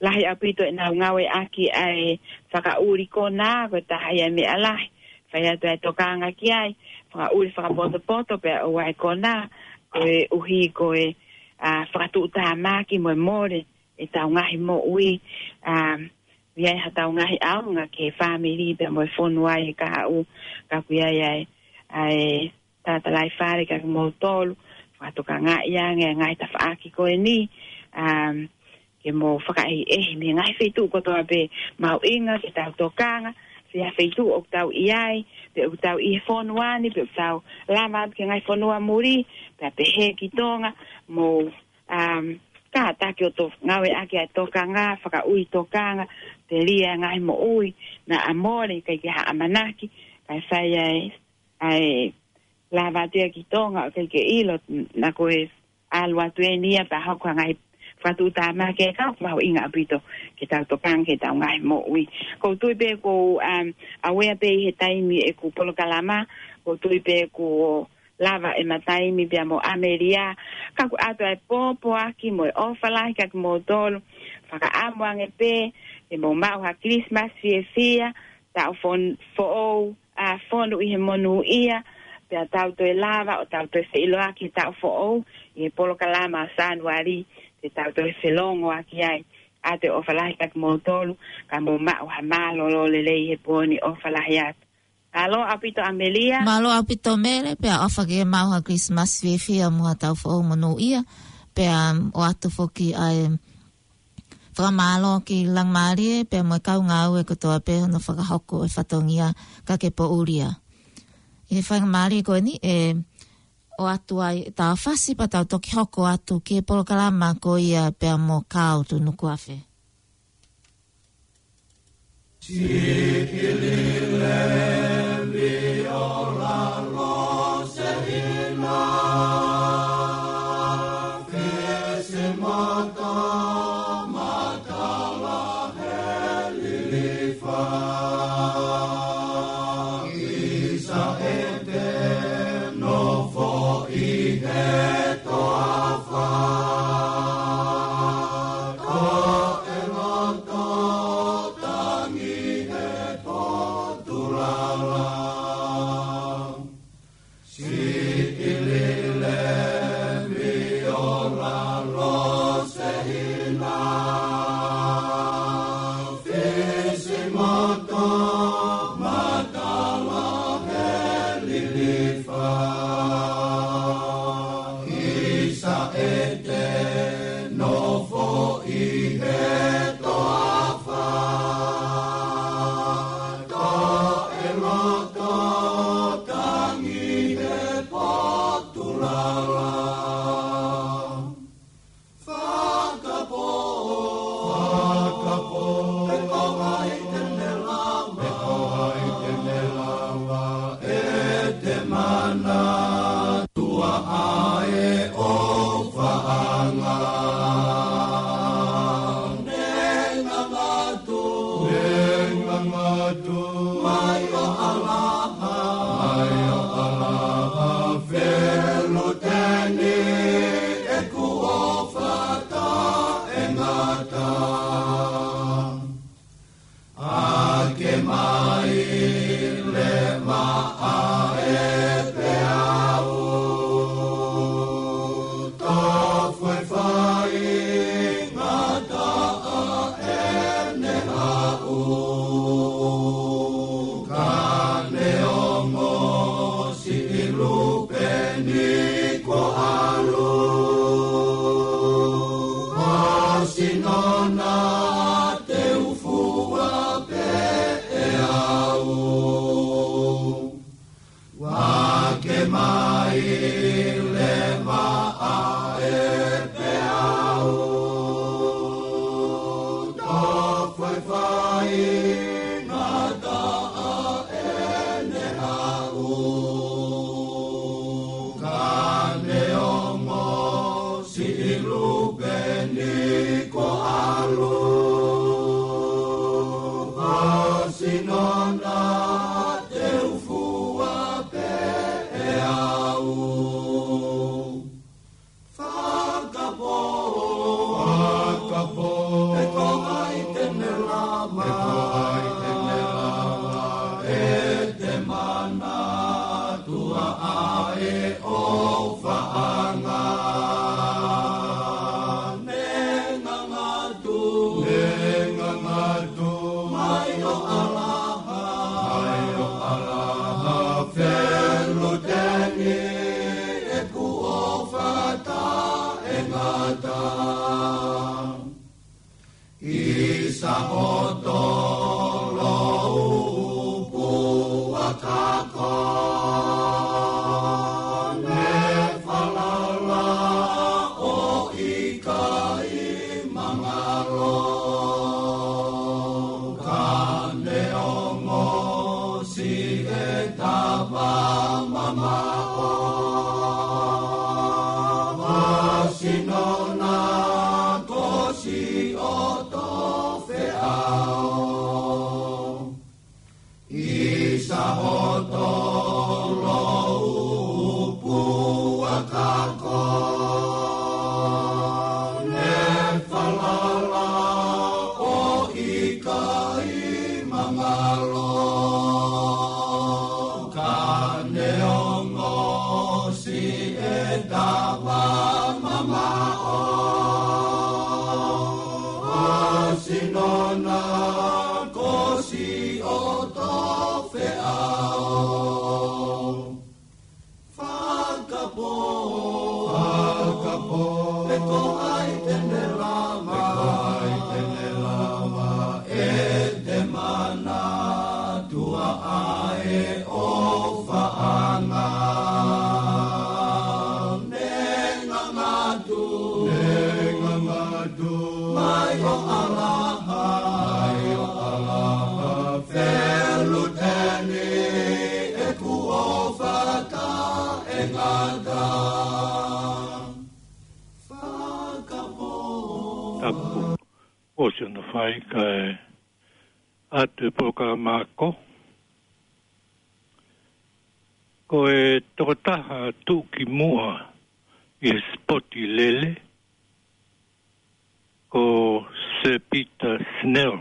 lahi ʻaupito ʻenau ngāueʻaki ʻa e fakaʻuli konā, ko e taha ia e meʻa lahi. Fai atu ʻa e tokanga ki ai, fakaʻuli fakapotopoto pea ʻoua ʻe konā, koeʻuhi ko e, a, fakatuʻutāmaki mo e mole ʻetau ngaahi moʻui, a, ʻi ai haʻatau ngaahi ʻaonga ki he fāmili pea mo e fonua ʻi he kahaʻu, ka ʻoku ʻi ai ʻa e, ʻa e tatalaifale kiate kimoutolu, fakatokangaʻi ange ʻa e ngaahi tafaʻaki ko eni, um, ke mou fakaʻehiʻehi mei he ngaahi feituʻu kotoa pē mahuʻinga ke tau tokanga, pea feituʻu ʻoku tau ʻi ai, pe ʻoku tau ʻi he fonua ni, pe ʻoku tau lava atu ki he ngaahi fonua muli, pea pehē ki Tonga, mou, um, kātaki ʻo to-, ngāueʻaki ʻa e tokanga, fakaʻuli tokanga, telia ʻa e ngaahi moʻui naʻa mole, ʻikai ke ha ʻamanaki, kae fai ʻa e, ʻa e lava atu ia ki Tonga, ʻoku ʻikai ke ʻilo, naʻa ko e ʻalu atu eni ia pea hoko ʻa e ngaahi fakatuʻutāmaki ʻe kau mahuʻinga ʻaupito ke tau tokanga ki heʻetau ngaahi moʻui. ʻOku ou tui pē ʻoku, um, ʻave pē ʻi he taimi ʻeku polokalama, ʻoku ou tui pē ʻoku lava ʻema taimi pea mo ʻAmelia, ka ʻoku ʻoatu ʻa e pōpoaki mo e ʻofa lahi kiate kimoutolu, fakaʻamu ange pē, ke mou maʻu ha Christmas fiefia, taʻu fon-, foʻou, a, fonu ʻi he monūʻia, pea tau toe lava ʻo tau toe feʻiloaki he taʻu foʻou, ʻi he polokalama ʻo Sānuali, te tau toe felongoaki ai. ʻOatu e ʻofa lahi kiate kimoutolu, ka mou maʻu ha mālōlō lelei he pō ni, ʻofa lahi atu. Mālō ʻaupito ʻAmelia. Mālō ʻaupito Mele, pea ʻofa ke maʻu ha Christmas fiefia mo ha taʻu foʻou monūʻia, pea, um, ʻoatu foki ʻa e fakamālō ki Langamālie, pea mo e kau ngāue kotoa pē hono fakahoko e fatongia ka ke poʻuli ia. ʻI he faingamālie ko eni ʻe ʻoatu ai ʻetau fasi pea tau toki hoko atu ki he polokalama ko ia pea mo Kāo Tunukuafe. Ko hai te ne lava ʻe te manatua ʻa e ʻofaʻanga? Ne ngangatu, ne ngangatu, mai ʻo ʻAlaha, mai ʻo ʻAlaha, feluteni ʻeku ʻofa taʻengata. ʻI Saʻoto, Loupu, ʻa Kako, ne falala ʻo ʻikai mangalo, ka ne ongosi e tava mamaʻo, ʻa Sinona ko Siʻoto Feʻao. ʻI Saʻoto, Loupu, ʻa Kako, ne falala ʻo ʻikai mangalo, ka ne ongosi e tava mamaʻo, ʻa Sinona ko Siʻoto Feʻao. Fakapō, fakapō, pe ko hai te ne lava, pe ko hai te ne lava ʻe te manatua ʻa e ʻofaʻanga? Ne ngangatu, ne ngangatu, mai ʻo ʻAlaha, mai ʻo ʻAlaha, feluteni ʻeku ʻofa taʻengata. Fakapō. Tapu. ʻOsi hono fai kae ʻoatu e polokalama ako. Ko e tokotaha tuʻukimuʻa ʻi he sipoti lele, ko Sir Peter Snell.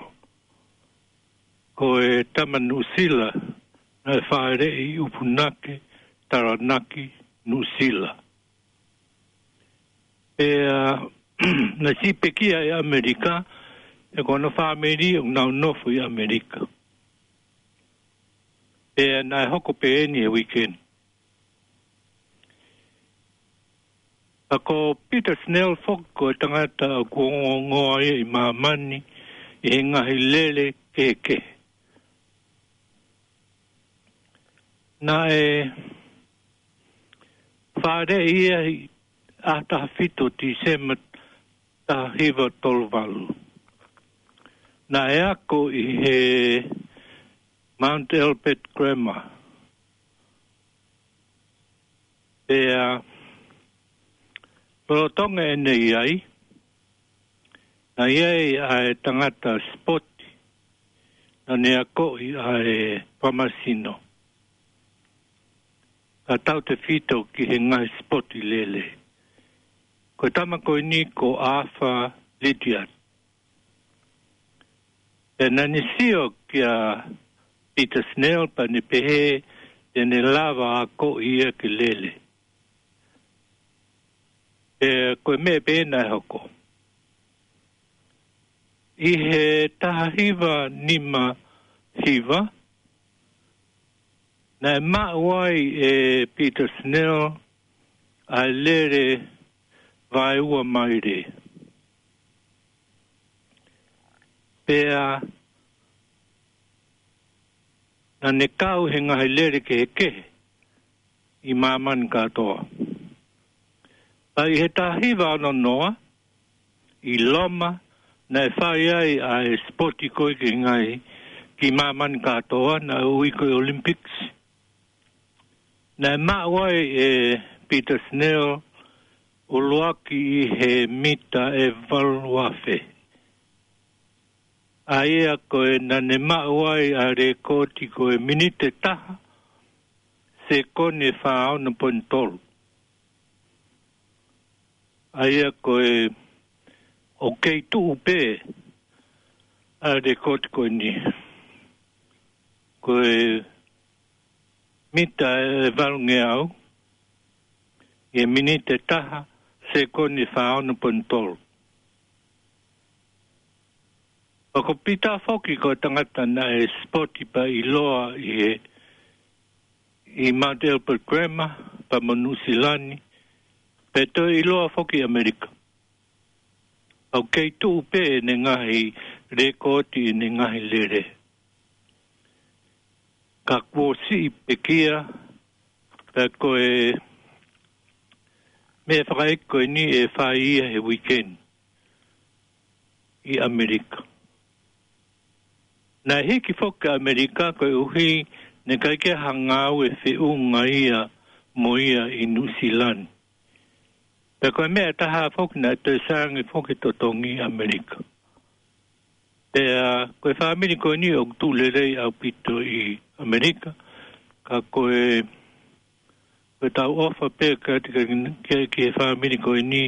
Ko e tama Nuʻusila, naʻe fāʻeleʻi ʻi ʻUpunake, Taranaki, Nuʻusila. Pea naʻe siʻi pekia ʻi ʻAmelika, he ko hono fāmili ʻoku nau nofo ʻi ʻAmelika. Pea naʻe hoko pē eni he weekend. Pea ko Peter Snell foki ko e tangata ʻoku ongoongoa ia ʻi māmani ʻi he ngaahi lele kehekehe. Naʻe fāʻeleʻi ia ʻi he ʻaho taha fitu Tīsema taha hiva tolu valu. Naʻe ako ʻi he Mount Albert Grammar. Pea lolotonga ʻene ʻi ai, naʻe ʻi ai ʻa e tangata sipoti naʻa ne akoʻi ʻa e fakamāsino, kae tautefito ki he ngaahi sipoti lele. Ko e tama ko eni ko Arthur Lydiard. Pea naʻa ne sio kia Peter Snell pea ne pehē te ne lava akoʻi ia ke lele. Pea ko e meʻa pē naʻe hoko. ʻI he taha hiva nima hiva, naʻe maʻu ai ʻe Peter Snell ʻa e lele vaeua maile. Pea naʻa ne kau he ngaahi lele kehekehe ʻi māmani kātoa. Pea ʻi he taha hiva ono noa, ʻi Loma, naʻe fai ai ʻa e sipoti ko ē ki he ngaahi, ki māmani kātoa, naʻe ui ko e Olympics. Naʻe maʻu ai ʻe Peter Snell ʻuluaki ʻi he mita ʻe valu afe. ʻA ia ko e naʻa ne maʻu ai ʻa e lēkooti ko e miniti ʻe taha, sekoni ʻe fā ono poini tolu. ʻA ia ko e ʻoku kei tuʻu pē ʻa e lekooti ko eni. Ko e mita ʻe valungeau ʻi he miniti ʻe taha, sekoni ʻe fā ono poini tolu. Pea ko Pita foki ko e tangata naʻe sipoti pea ʻiloa ʻi he, ʻi Mount Elbert Grammar, pea mo Nuʻu Sila ni, pea toe ʻiloa foki ʻi ʻAmelika. ʻOku kei tuʻu pē ʻene ngaahi lekooti, ʻene ngaahi lele. Ka kuo siʻi pekia, pea ko e meʻa fakaʻeiki ko eni ʻe fai ia he weekend ʻi ʻAmelika. Naʻe hiki foki ki ʻAmelika koeʻuhi naʻe ʻikai ke ʻi ai ha ngāue feʻunga ia mo ia ʻi Nuʻu Sila ni. Pea ko e meʻa ʻe taha foki naʻe toe sai ange foki e totongi ʻi ʻAmelika. Pea ko e fāmili ko eni ʻoku tuʻu lelei ʻaupito ʻi ʻAmelika, ka ko e, ko e tau ʻofa pē ka, ka, ki, ki he fāmili ko eni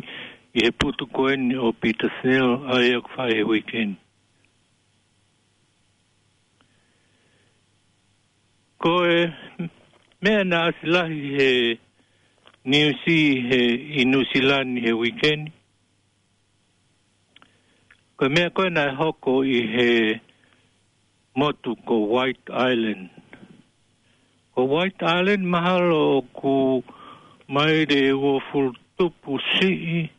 ʻi he putu ko eni ʻo Pita Snell, ʻa ia ʻoku fai he weekend. Ko e meʻa naʻe ʻasi lahi he niusi he ʻi Nuʻu Sila ni he weekend, ko e meʻa ko ē naʻe hoko ʻi he motu ko White Island. Ko White Island mahalo ʻoku maile ʻe uofulu tupu siʻi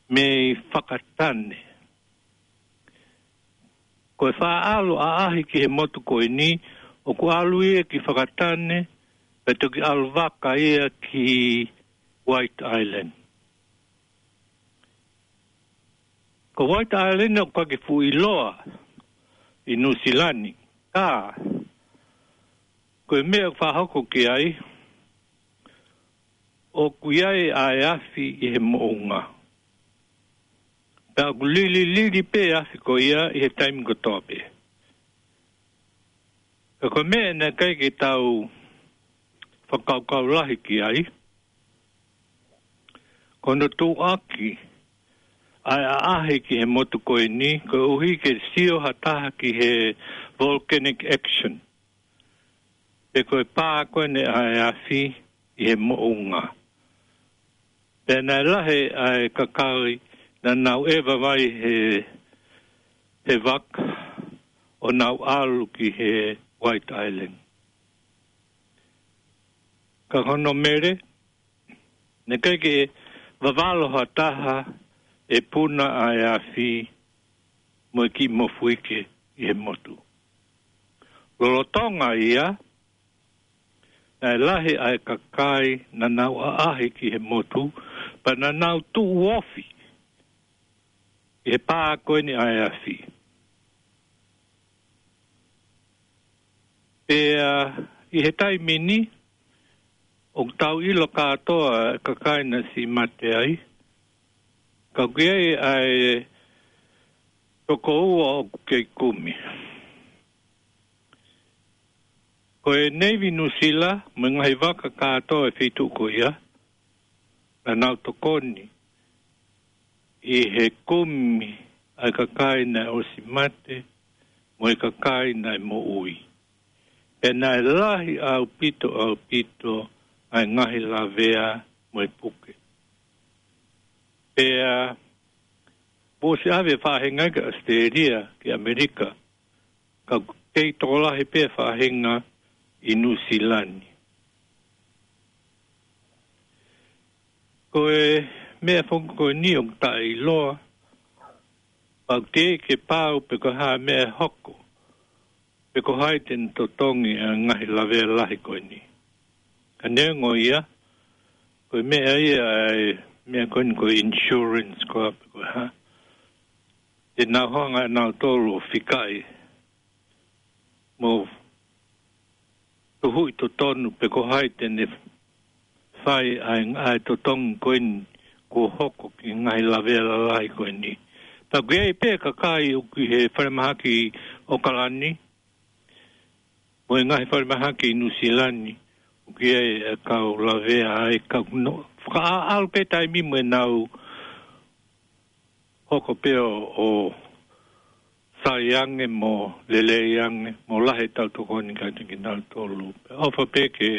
mei Fakatane. Ko e faʻa ʻalu ʻaʻahi ki he motu ko eni, ʻoku ʻalu ia ki Fakatane, pea toki ʻalu vaka ia ki White Island. Ko White Island ʻoku ʻikai ke fuʻu ʻiloa ʻi Nuʻu Sila ni, ka ko e meʻa ʻoku faʻa hoko ki ai, ʻoku ʻi ai ʻa e afi ʻi he moʻunga. Pea ʻoku lililili pē afi ko ia ʻi he taimi kotoa pē. Ka ko e meʻa naʻe ʻikai ke tau fakakaukau lahi ki ai, ko hono tuʻuaki ʻa e ʻaʻahi ki he motu ko eni, koeʻuhi ke sio ha taha ki he volcanic action. Pe ko e pā ko eni ʻa e afi ʻi he moʻunga. Pea naʻe lahi ʻa e kakai naʻa nau ʻeva vai he, he vaka ʻo nau ʻalu ki he White Island. Ka ko hono mele, naʻe ʻikai ke vavalo ha taha ʻe puna ʻa e afi mo e kiʻi mofuike ʻi he motu. Lolotonga ia, naʻe lahi ʻa e kakai naʻa nau ʻaʻahi ki he motu, pea naʻa nau tuʻu ofi ʻi he pā ko eni ʻa e afi. Pea ʻi he taimi ni, ʻoku tau ʻilo kātoa e kakai naʻe siʻi mate ai, ka ʻoku ʻi ai ʻa e toko ua ʻoku kei kumi. Ko e Navy Nuʻu Sila mo e ngaahi vaka kātoa e feituʻu ko ia, naʻa nau tokoni ʻi he kumi ʻa e kakai naʻe ʻosi mate mo e kakai naʻe moʻui. Pea naʻe lahi ʻaupito, ʻaupito ʻa e ngaahi lavea mo e puke. Pea kuo ʻosi ʻave faʻahinga ki ʻAositelēlia, ki ʻAmelika, ka kei tokolahi pē faʻahinga ʻi Nuʻu Sila ni. Ko e meʻa foki ko eni ʻoku taʻeʻiloa, pea ʻoku teʻeki ke pau pe ko e hā e meʻa ʻe hoko, pe ko hai te ne totongi ʻa e ngaahi lavea lahi ko eni. Ka neongo ia, ko e meʻa ia ʻa e meʻa ko eni ko e insurance ko ā pe ko e hā, te nau hanga ʻe nautolu ʻo fikaʻi mo tuhuʻi totonu pe ko hai te ne fai ʻa e, ʻa e totongi ko eni kuo hoko ki he ngaahi lavea lalahi ko eni. Pea ʻoku ʻi ai pē kakai ʻoku ʻi he falemahaki ʻAokalani mo e ngaahi falemahaki ʻi Nuʻu Sila ni, ʻoku ʻi ai e kau lavea ai, ka ʻoku nau fakaʻaʻalu pē taimi mo ʻenau hoko pē ʻo, ʻo sai ange mo lelei ange, mo lahi ʻetau tokoni kiate kinautolu. Pea ʻofa pē ke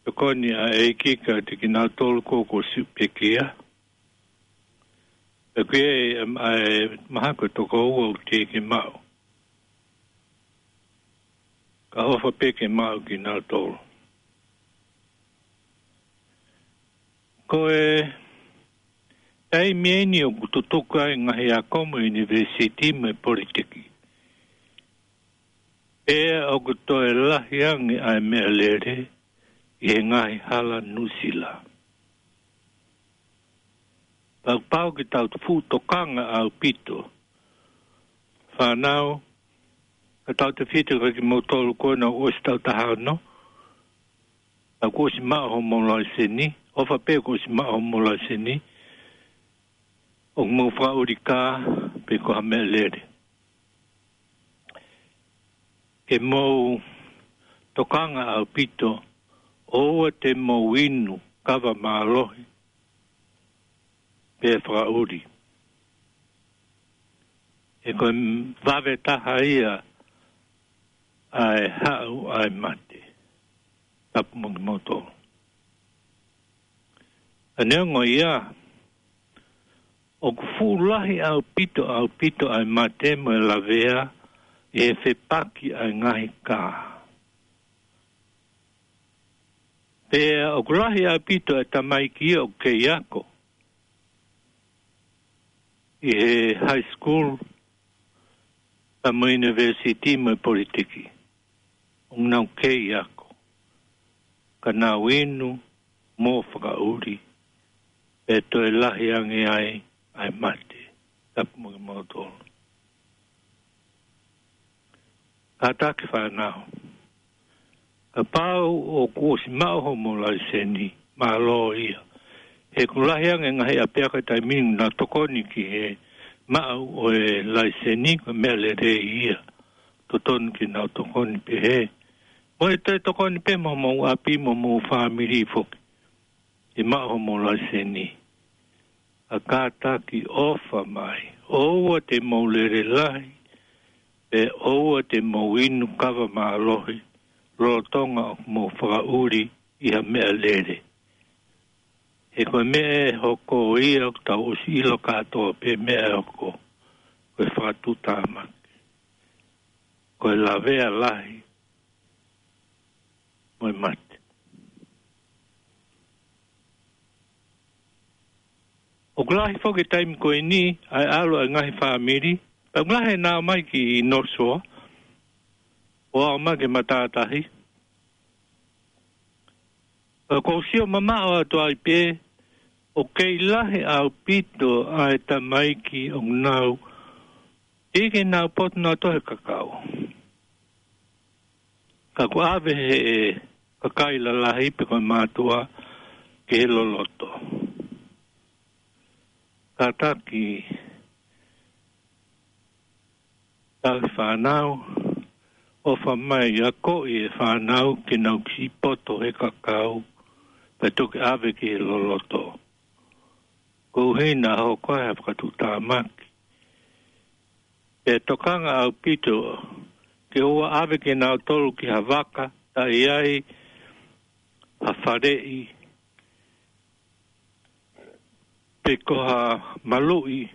tokoni ʻa e ʻEiki kiate kinautolu ko ē kuo siʻi pekia. Pea ko e, em, ʻa e mahaki ʻe toko ua ʻoku teʻeki ke maʻu. Ka ʻofa pē ke maʻu kinautolu. Ko e taimi ʻeni ʻoku tutuku ai e ngaahi ako mo e ʻunivēsiti mo e politeki. Pea ʻoku toe lahi ange ʻa e meʻalele ʻi he ngaahi hala Nuʻusila. Pea ʻoku pau ke tau fuʻu tokanga ʻaupito. Fānau, ka tau tefito kia kimoutolu ko ena ʻoku ʻosi taʻu taha ono, ʻoku ʻosi maʻu homou laiseni, ʻofa pē kuo ʻosi maʻu homou laiseni, ʻoku mou fakaʻuli kā pe ko ha meʻalele. Ke mou tokanga ʻaupito, ʻoua te mou inu kava mālohi pe fakaʻuli. He ko e vave taha ia ʻa e haʻu ʻa e mate. Tapu mo kimoutolu. Ka neongo ia, ʻoku fuʻu lahi ʻaupito, ʻaupito ʻa e mate mo e lavea ʻi he fepaki ʻa e ngaahi kā. Pea ʻoku lahi ʻaupito e tamaiki ʻoku kei ako ʻi he high school, pea mo e university mo e politeki. ʻOku nau kei ako. Ka nau inu mo fakaʻuli, pea toe lahi ange ai ʻa e mate. Tapu mo kimoutolu. Kātaki fānau. Kapau ʻoku ʻosi maʻu homou laiseni, mālō ia. He ʻoku lahi ange e ngaahi ʻapiako he taimi ni ʻoku nau tokoni ki he maʻu ʻo e laiseni, ko e meʻa lelei ia. Totonu ke nau tokoni pehē. Mo e toe tokoni pē mo homou ʻapi mo homou fāmili foki. ʻI he maʻu homou laiseni. Ka kātaki ʻofa mai. ʻOua te mou lele lahi, pea ʻoua te mou inu kava mālohi, lolotonga ʻoku mou fakaʻuli ʻi ha meʻalele. He ko e meʻa ʻe hoko ia ʻoku tau ʻosi ʻilo kātoa pē meʻa ʻe hoko. Ko e fakatuʻutāmaki. Ko e lavea lahi mo e mate. ʻOku lahi foki e taimi ko eni, ʻa e ʻalu ʻa e ngaahi fāmili, pea ʻoku lahi ʻenau ō mai ki North Shore, ʻo aʻu mai ki he matātahi. Pea ʻoku ou sio mamaʻo atu ai pē, ʻoku kei lahi ʻaupito ʻa e tamaiki ʻoku nau, teʻeki ke nau poto nautolu he kakau. Ka ʻoku ʻave ʻe he kakai lalahi pe ko e mātuʻa ki he loloto. Kātaki, tauhi fānau, ʻofa mai akoʻi e fānau ke nau kiʻi poto he kakau, pea toki ʻave ki he loloto. Koeʻuhi naʻa hoko ai ha fakatuʻutāmaki. Pea tokanga ʻaupito ke ʻoua ʻave kinautolu ki ha vaka, taʻe ʻi ai ha faleʻi, pe ko ha maluʻi,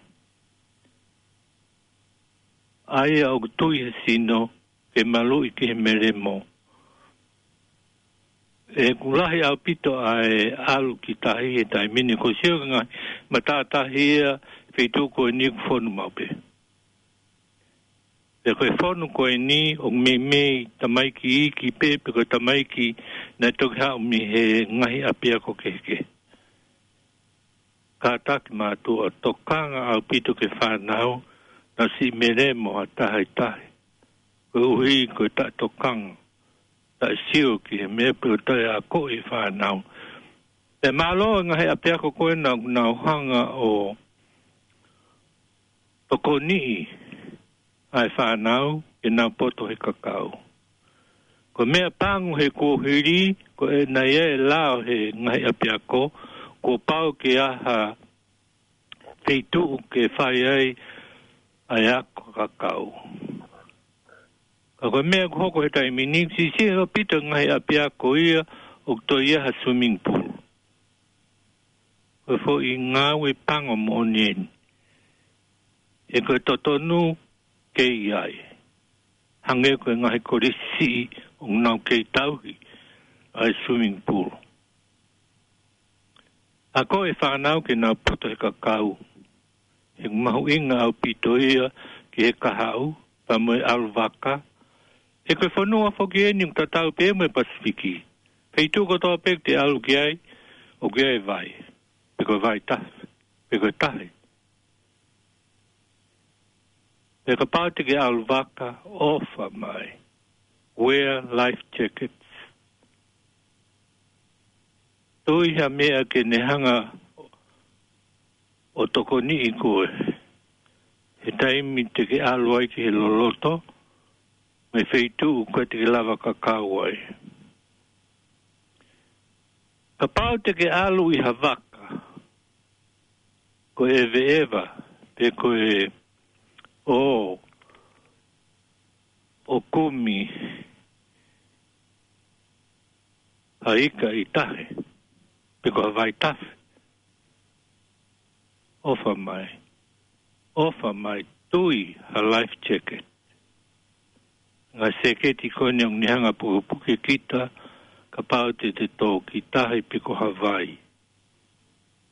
ʻa ia ʻoku tui he sino, ke maluʻi ki he melemo. ʻOku lahi ʻaupito ʻa e ʻalu ki tahi he taimi ni, ʻoku ou sio ki he ngaahi matātahi ia, feituʻu ko eni ʻoku fonu maʻu pē. Pea ko e fonu ko eni ʻoku meimei tamaiki iiki pē, pe ko e tamaiki naʻe toki haʻu mei he ngaahi ʻapiako kehekehe. Kātaki mātuʻa, tokanga ʻaupito ki he fānau, nau siʻi melemo ha taha ʻi tahi. Koeʻuhi ko e taʻetokanga, taʻesio ki he meʻa pe ko e taʻeakoʻi e fānau. Pea mālō e ngaahi ʻapiako ko ena ʻoku nau hanga ʻo tokoniʻi ʻa e fānau ke nau poto he kakau. Ko e meʻa pango he kuohili, ko e naʻe ʻi ai e lao he ngaahi ʻapiako, kuo pau ke ʻi ai ha feituʻu ke fai ai ʻa e ako kakau. Ka ko e meʻa ʻoku hoko he taimi ni, siʻisiʻi ʻaupito e ngaahi ʻapiako ia ʻoku toe ʻi ai ha swimming pool. Ko e foʻi ngāue pango moʻoni eni. He ko e totonu ke ʻi ai. Hangē ko e ngaahi kolisi siʻi ʻoku nau kei tauhi ʻa e swimming pool. Ako e fānau ke nau poto he kakau. He mahuʻinga ʻaupito ia ki he kahaʻu, pea mo e ʻalu vaka. He ko e fonua foki eni ʻoku tatau pē mo e Pasifiki. Feituʻu kotoa pē ʻoku te ʻalu ki ai, ʻoku ʻi ai e vai. Pe ko e vai tafe, pe ko e tahi. Pea kapau te ke ʻalu vaka, ʻofa mai. Wear life jackets. Toe ʻi ai ha meʻa ke ne hanga ʻo tokoniʻi koe he taimi te ke ʻalu ai ki he loloto, mo e feituʻu ʻoku ʻikai te ke lava kakau ai. Kapau te ke ʻalu ʻi ha vaka, ko e ʻeveʻeva, pe ko e ʻō, ʻo kumi ha ika ʻi tahi, pe ko ha vai tafe. ʻOfa mai. ʻOfa mai, tui ha life jacket. Ngaahi seketi ko eni ʻoku ne hanga pukepuke kita, kapau te te tō ki tahi pe ko ha vai.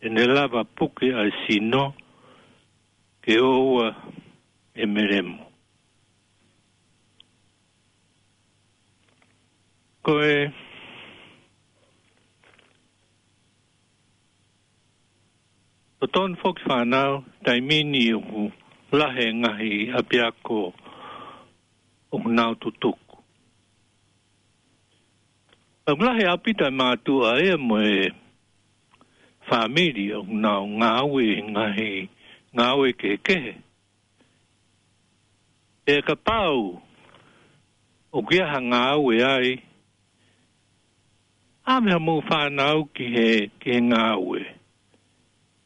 ʻE ne lava puke ʻa e sino, ke ʻoua ʻe melemo. Ko e totonu foki fānau, taimi ni ʻoku lahi e ngaahi ʻapiako ʻoku nau tutuku. ʻOku lahi ʻaupito e mātuʻa ia mo e fāmili ʻoku nau ngāue he ngaahi ngāue kehekehe. Pea kapau ʻoku ʻi ai ha ngāue ai, ʻave haʻamou fānau ki he, ki he ngāue.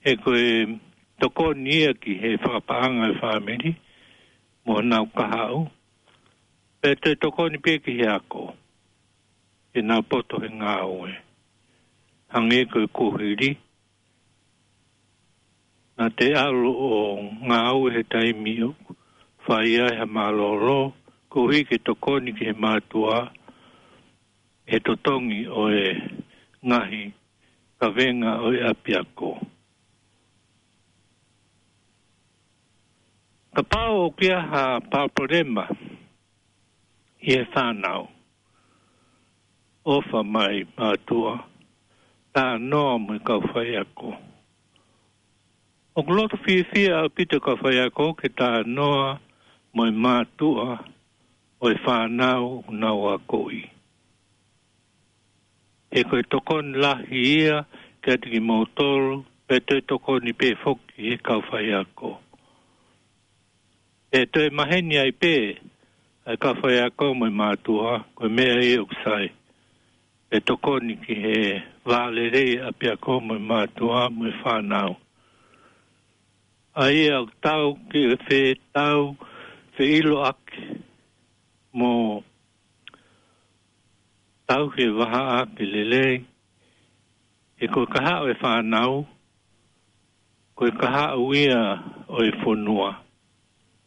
He ko e tokoni ia ki he fakapaʻanga e fāmili, mo honau kahaʻu. Pea toe tokoni pē ki he ako, ke nau poto he ngāue. Hangē ko e kuhili, naʻa te ʻalu ʻo ngāue he taimi ʻoku fai ai ha mālōlō, koeʻuhi ke tokoni ki he mātuʻa, he totongi ʻo e ngaahi kavenga ʻo e ʻapiako. Kapau ʻoku ʻi ai ha palopalema ʻi he fānau, ʻofa mai mātuʻa, talanoa mo e kau faiako. ʻOku loto fiefia ʻaupito e kau faiako ke talanoa mo e mātuʻa ʻo e fānau ʻoku nau akoʻi. He ko e tokoni lahi ia kiate kimoutolu, pea toe tokoni pē foki he kau faiako. ʻE toe maheni ai pē ʻa e kau faiako mo e mātuʻa, ko e meʻa ia ʻoku sai. ʻE tokoni ki he vā lelei ʻapiako mo e mātuʻa mo e fānau. ʻA ia ʻoku tau ke fetau, feʻiloaki mo tauhi e vahaʻa ke lelei. He ko e kahaʻu e fānau, ko e kahaʻu ia ʻo e fonua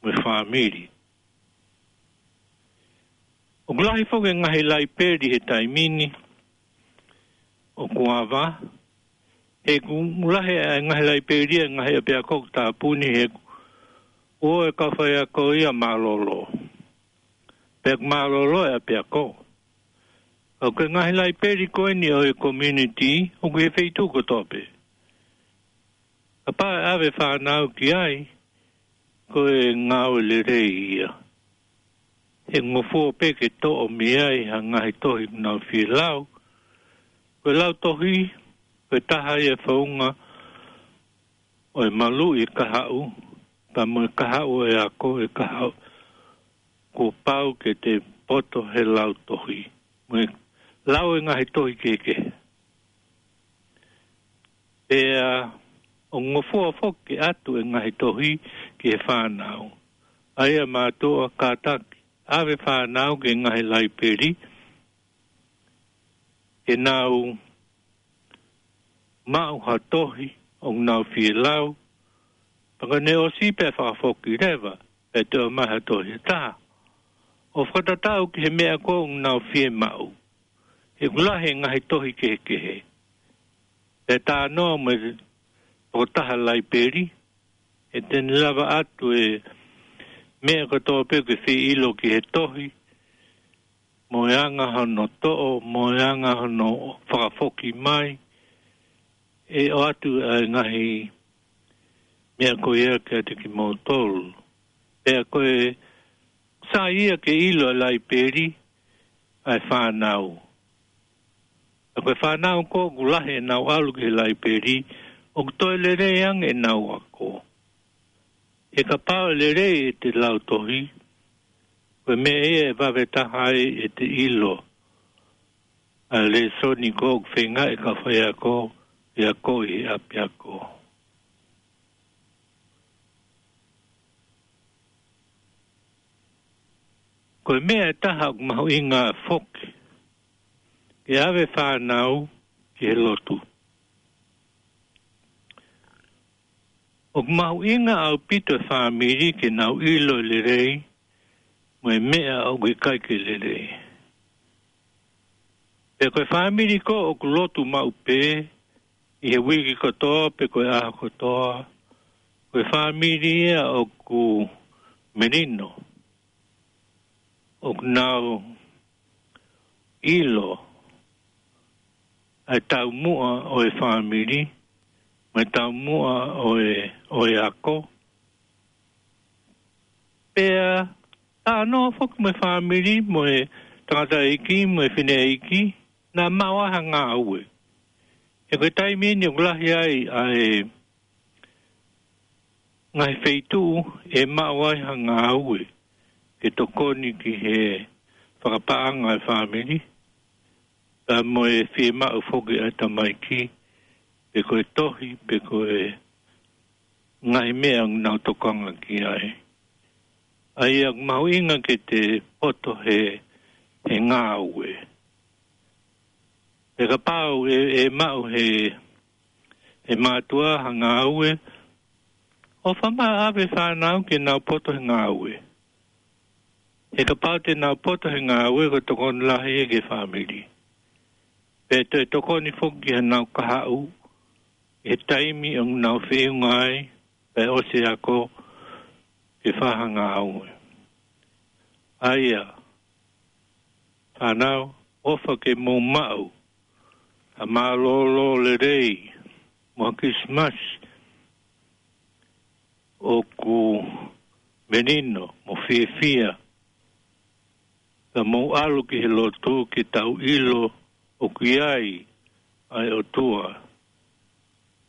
mo e fāmili. ʻOku lahi foki e ngaahi laipeli he taimi ni ʻoku ava, he ʻoku lahi e ngaahi laipeli e ngaahi ʻapiako ʻoku tāpuni, he ʻoku ʻi ai e kau faiako ia mālōlō. Pea ʻoku mālōlō e ʻapiako. Ka ko e ngaahi laipeli ko eni ʻo e community, ʻoku ʻi he feituʻu kotoa pē. Kapau ʻe ʻave fānau ki ai, ko e ngāue lelei ia. He ngofua pē ke toʻo mei ai ha ngaahi tohi ʻoku nau fie lau. Ko e lau tohi, ko e taha ia e founga ʻo e maluʻi e kahaʻu, pea mo e kahaʻu ʻo e ako e kahaʻu. Kuo pau ke te poto he lau tohi. Mo e lau e ngaahi tohi kehekehe. Pea ʻoku ngofua foki ke ʻatu e ngaahi tohi ki he fānau. ʻA ia mātuʻa, kātaki ʻave fānau ki he ngaahi laipeli ke nau maʻu ha tohi ʻoku nau fie lau, pea ka ne ʻosi pea fakafoki leva, pea toe ʻomai ha tohi ʻe taha ʻo fakatatau ki he meʻa ko ē ʻoku nau fie maʻu. He ʻoku lahi e ngaahi tohi kehekehe. Pea talanoa mo e tokotaha laipeli, ʻe te ne lava atu e meʻa kotoa pē ʻoku ke fie ʻilo ki he tohi, mo e anga hono toʻo, mo e anga hono fakafoki mai, ʻe ʻoatu ʻa e ngaahi meʻa ko ia kiate kimoutolu. Pea ko e sai ia ke ʻilo ʻe he laipeli ʻa e fānau. Pea ko e fānau ko ē ʻoku lahi ʻenau ʻalu ki he laipeli, ʻoku toe lelei ange ʻenau ako. He kapau ʻe lelei ʻete lau tohi, ko e meʻa ia ʻe vave taha ai ʻete ʻilo ʻa e lēsoni ko ē ʻoku feinga e kau faiako ke akoʻi he ʻapiako. Ko e meʻa ʻe taha ʻoku mahuʻinga foki ke ʻave fānau ki he lotu. ʻOku mahuʻinga ʻaupito e fāmili ke nau ʻilo lelei mo e meʻa ʻoku ʻikai ke lelei. Pea ko e fāmili ko ē ʻoku lotu maʻu pē ʻi he uike kotoa pe ko e ʻaho kotoa, ko e fāmili ia ʻoku melino, ʻoku nau ʻilo ʻa e taumuʻa ʻo e fāmili, mo e taumuʻa ʻo e, ʻo e ako. Pea talanoa foki mo e fāmili, mo e tangataʻeiki, mo e fineʻeiki, naʻa maʻu ai ha ngāue. He ko e taimi eni ʻoku lahi ai ʻa e ngaahi feituʻu ʻe maʻu ai ha ngāue ke tokoni ki he fakapaʻanga e fāmili, pea mo e fiemaʻu foki ʻa e tamaiki, pe ko e tohi, pe ko e ngaahi meʻa ʻoku nau tokanga ki ai. ʻA ia ʻoku mahuʻinga ke te poto he, he ngāue. He kapau ʻe, ʻe maʻu he, he mātuʻa ha ngāue, ʻofa mai ʻave fānau ke nau poto he ngāue. He kapau te nau poto he ngāue, ko e tokoni lahi ia ki he fāmili. Pea toe tokoni foki ki heʻenau kahaʻu, he taimi ʻoku nau feʻunga ai, pea ʻosi ako ke fai ha ngāue. ʻA ia, fānau, ʻofa ke mou maʻu ha mālōlō lelei mo ha Kilisimasi ʻoku melino mo fiefia. Ka mou ʻalu ki he lotu ke tau ʻilo ʻoku ʻi ai ʻa e ʻOtua.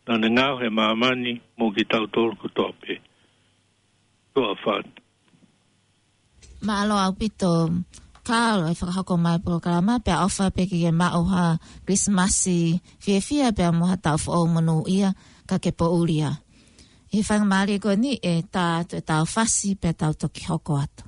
Naʻa ne ngaohi e māmani mo kitautolu kotoa pē. Tuʻa ʻofa atu. Mālō ʻaupito, Carl, e fakahoko mai polokalama, pea ʻofa pē ke ke maʻu ha Kilisimasi fiefia, pea mo ha taʻu foʻou monūʻia, ka ke poʻuli ā. ʻI he faingamālie ko eni ʻe tā atu ʻetau fasi, pea tau toki hoko atu.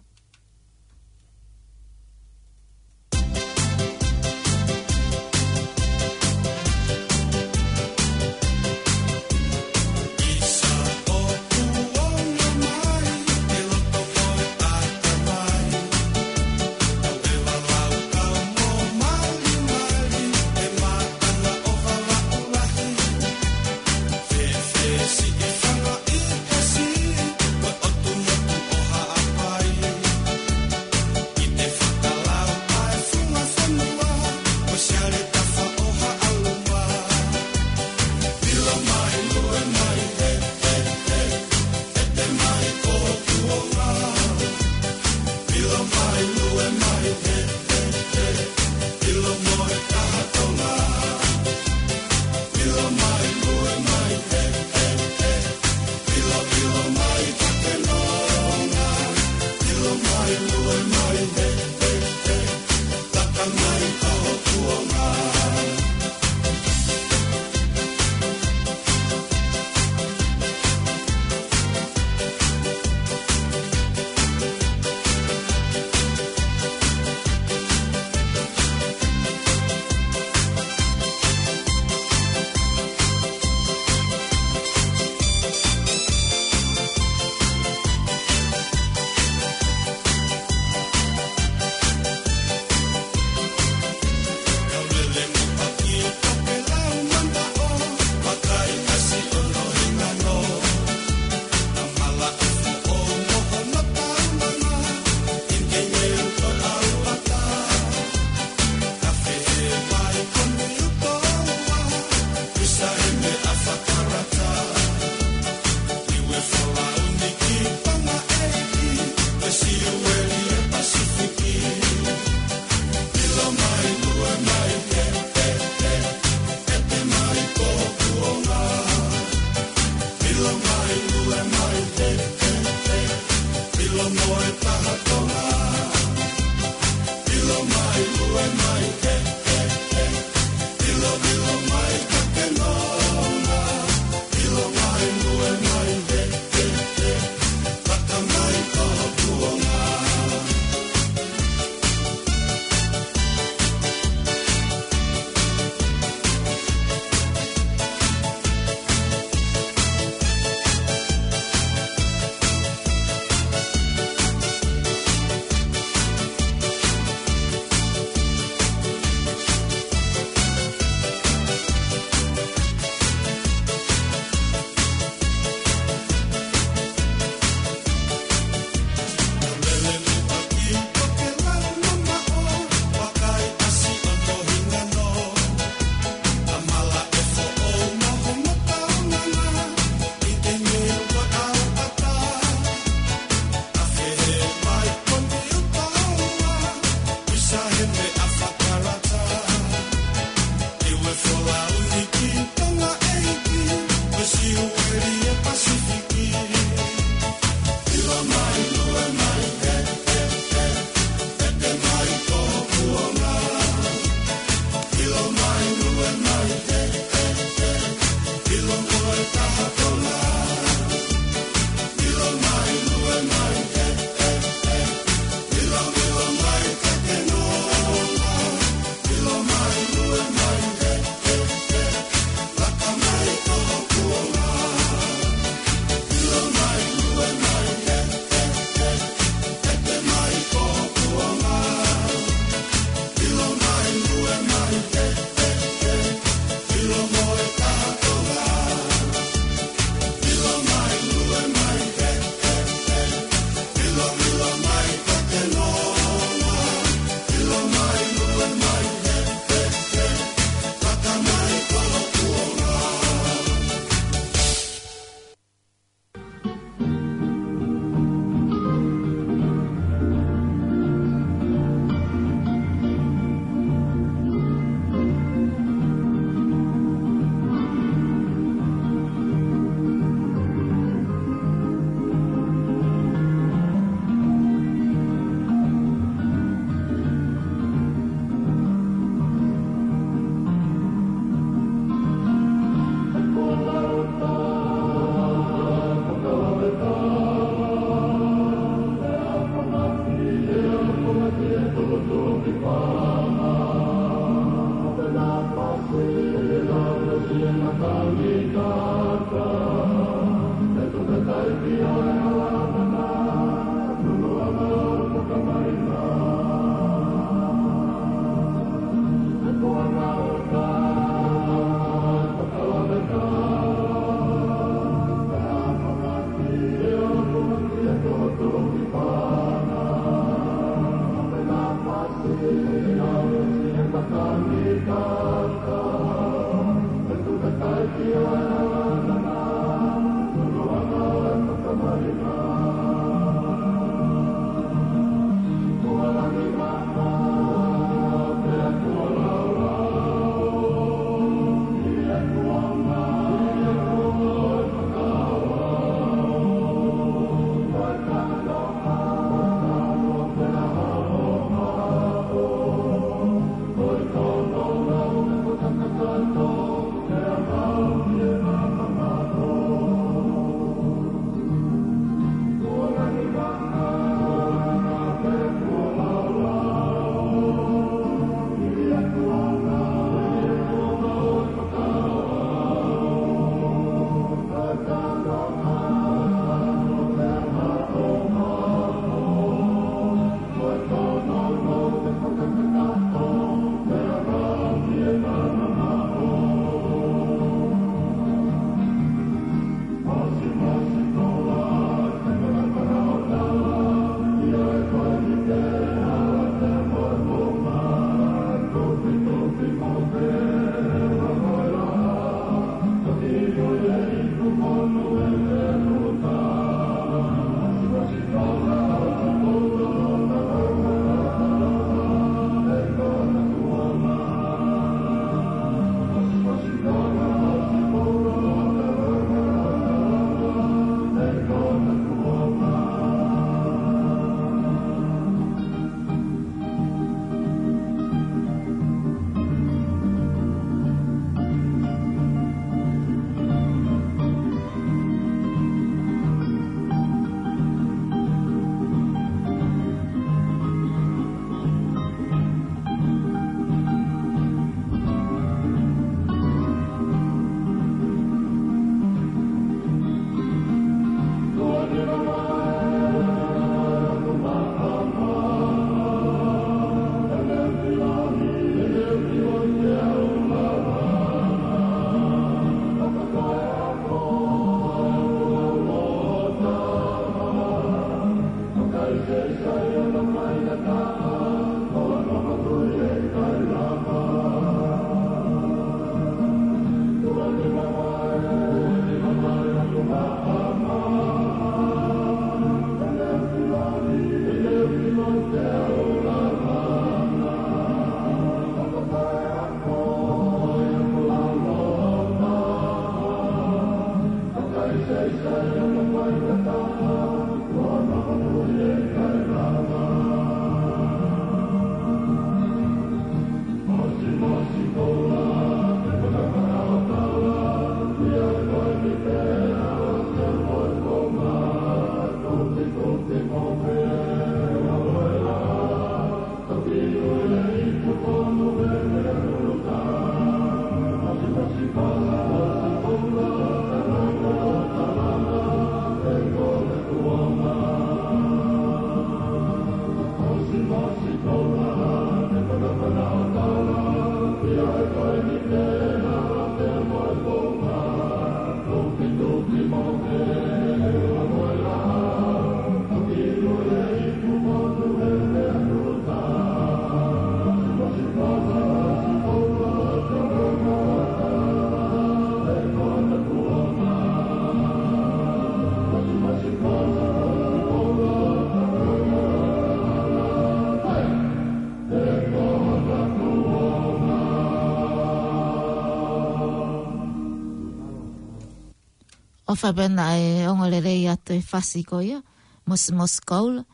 ʻOfa pē naʻe ongo lelei atu e fasi ko ia, Mosimosi Koula.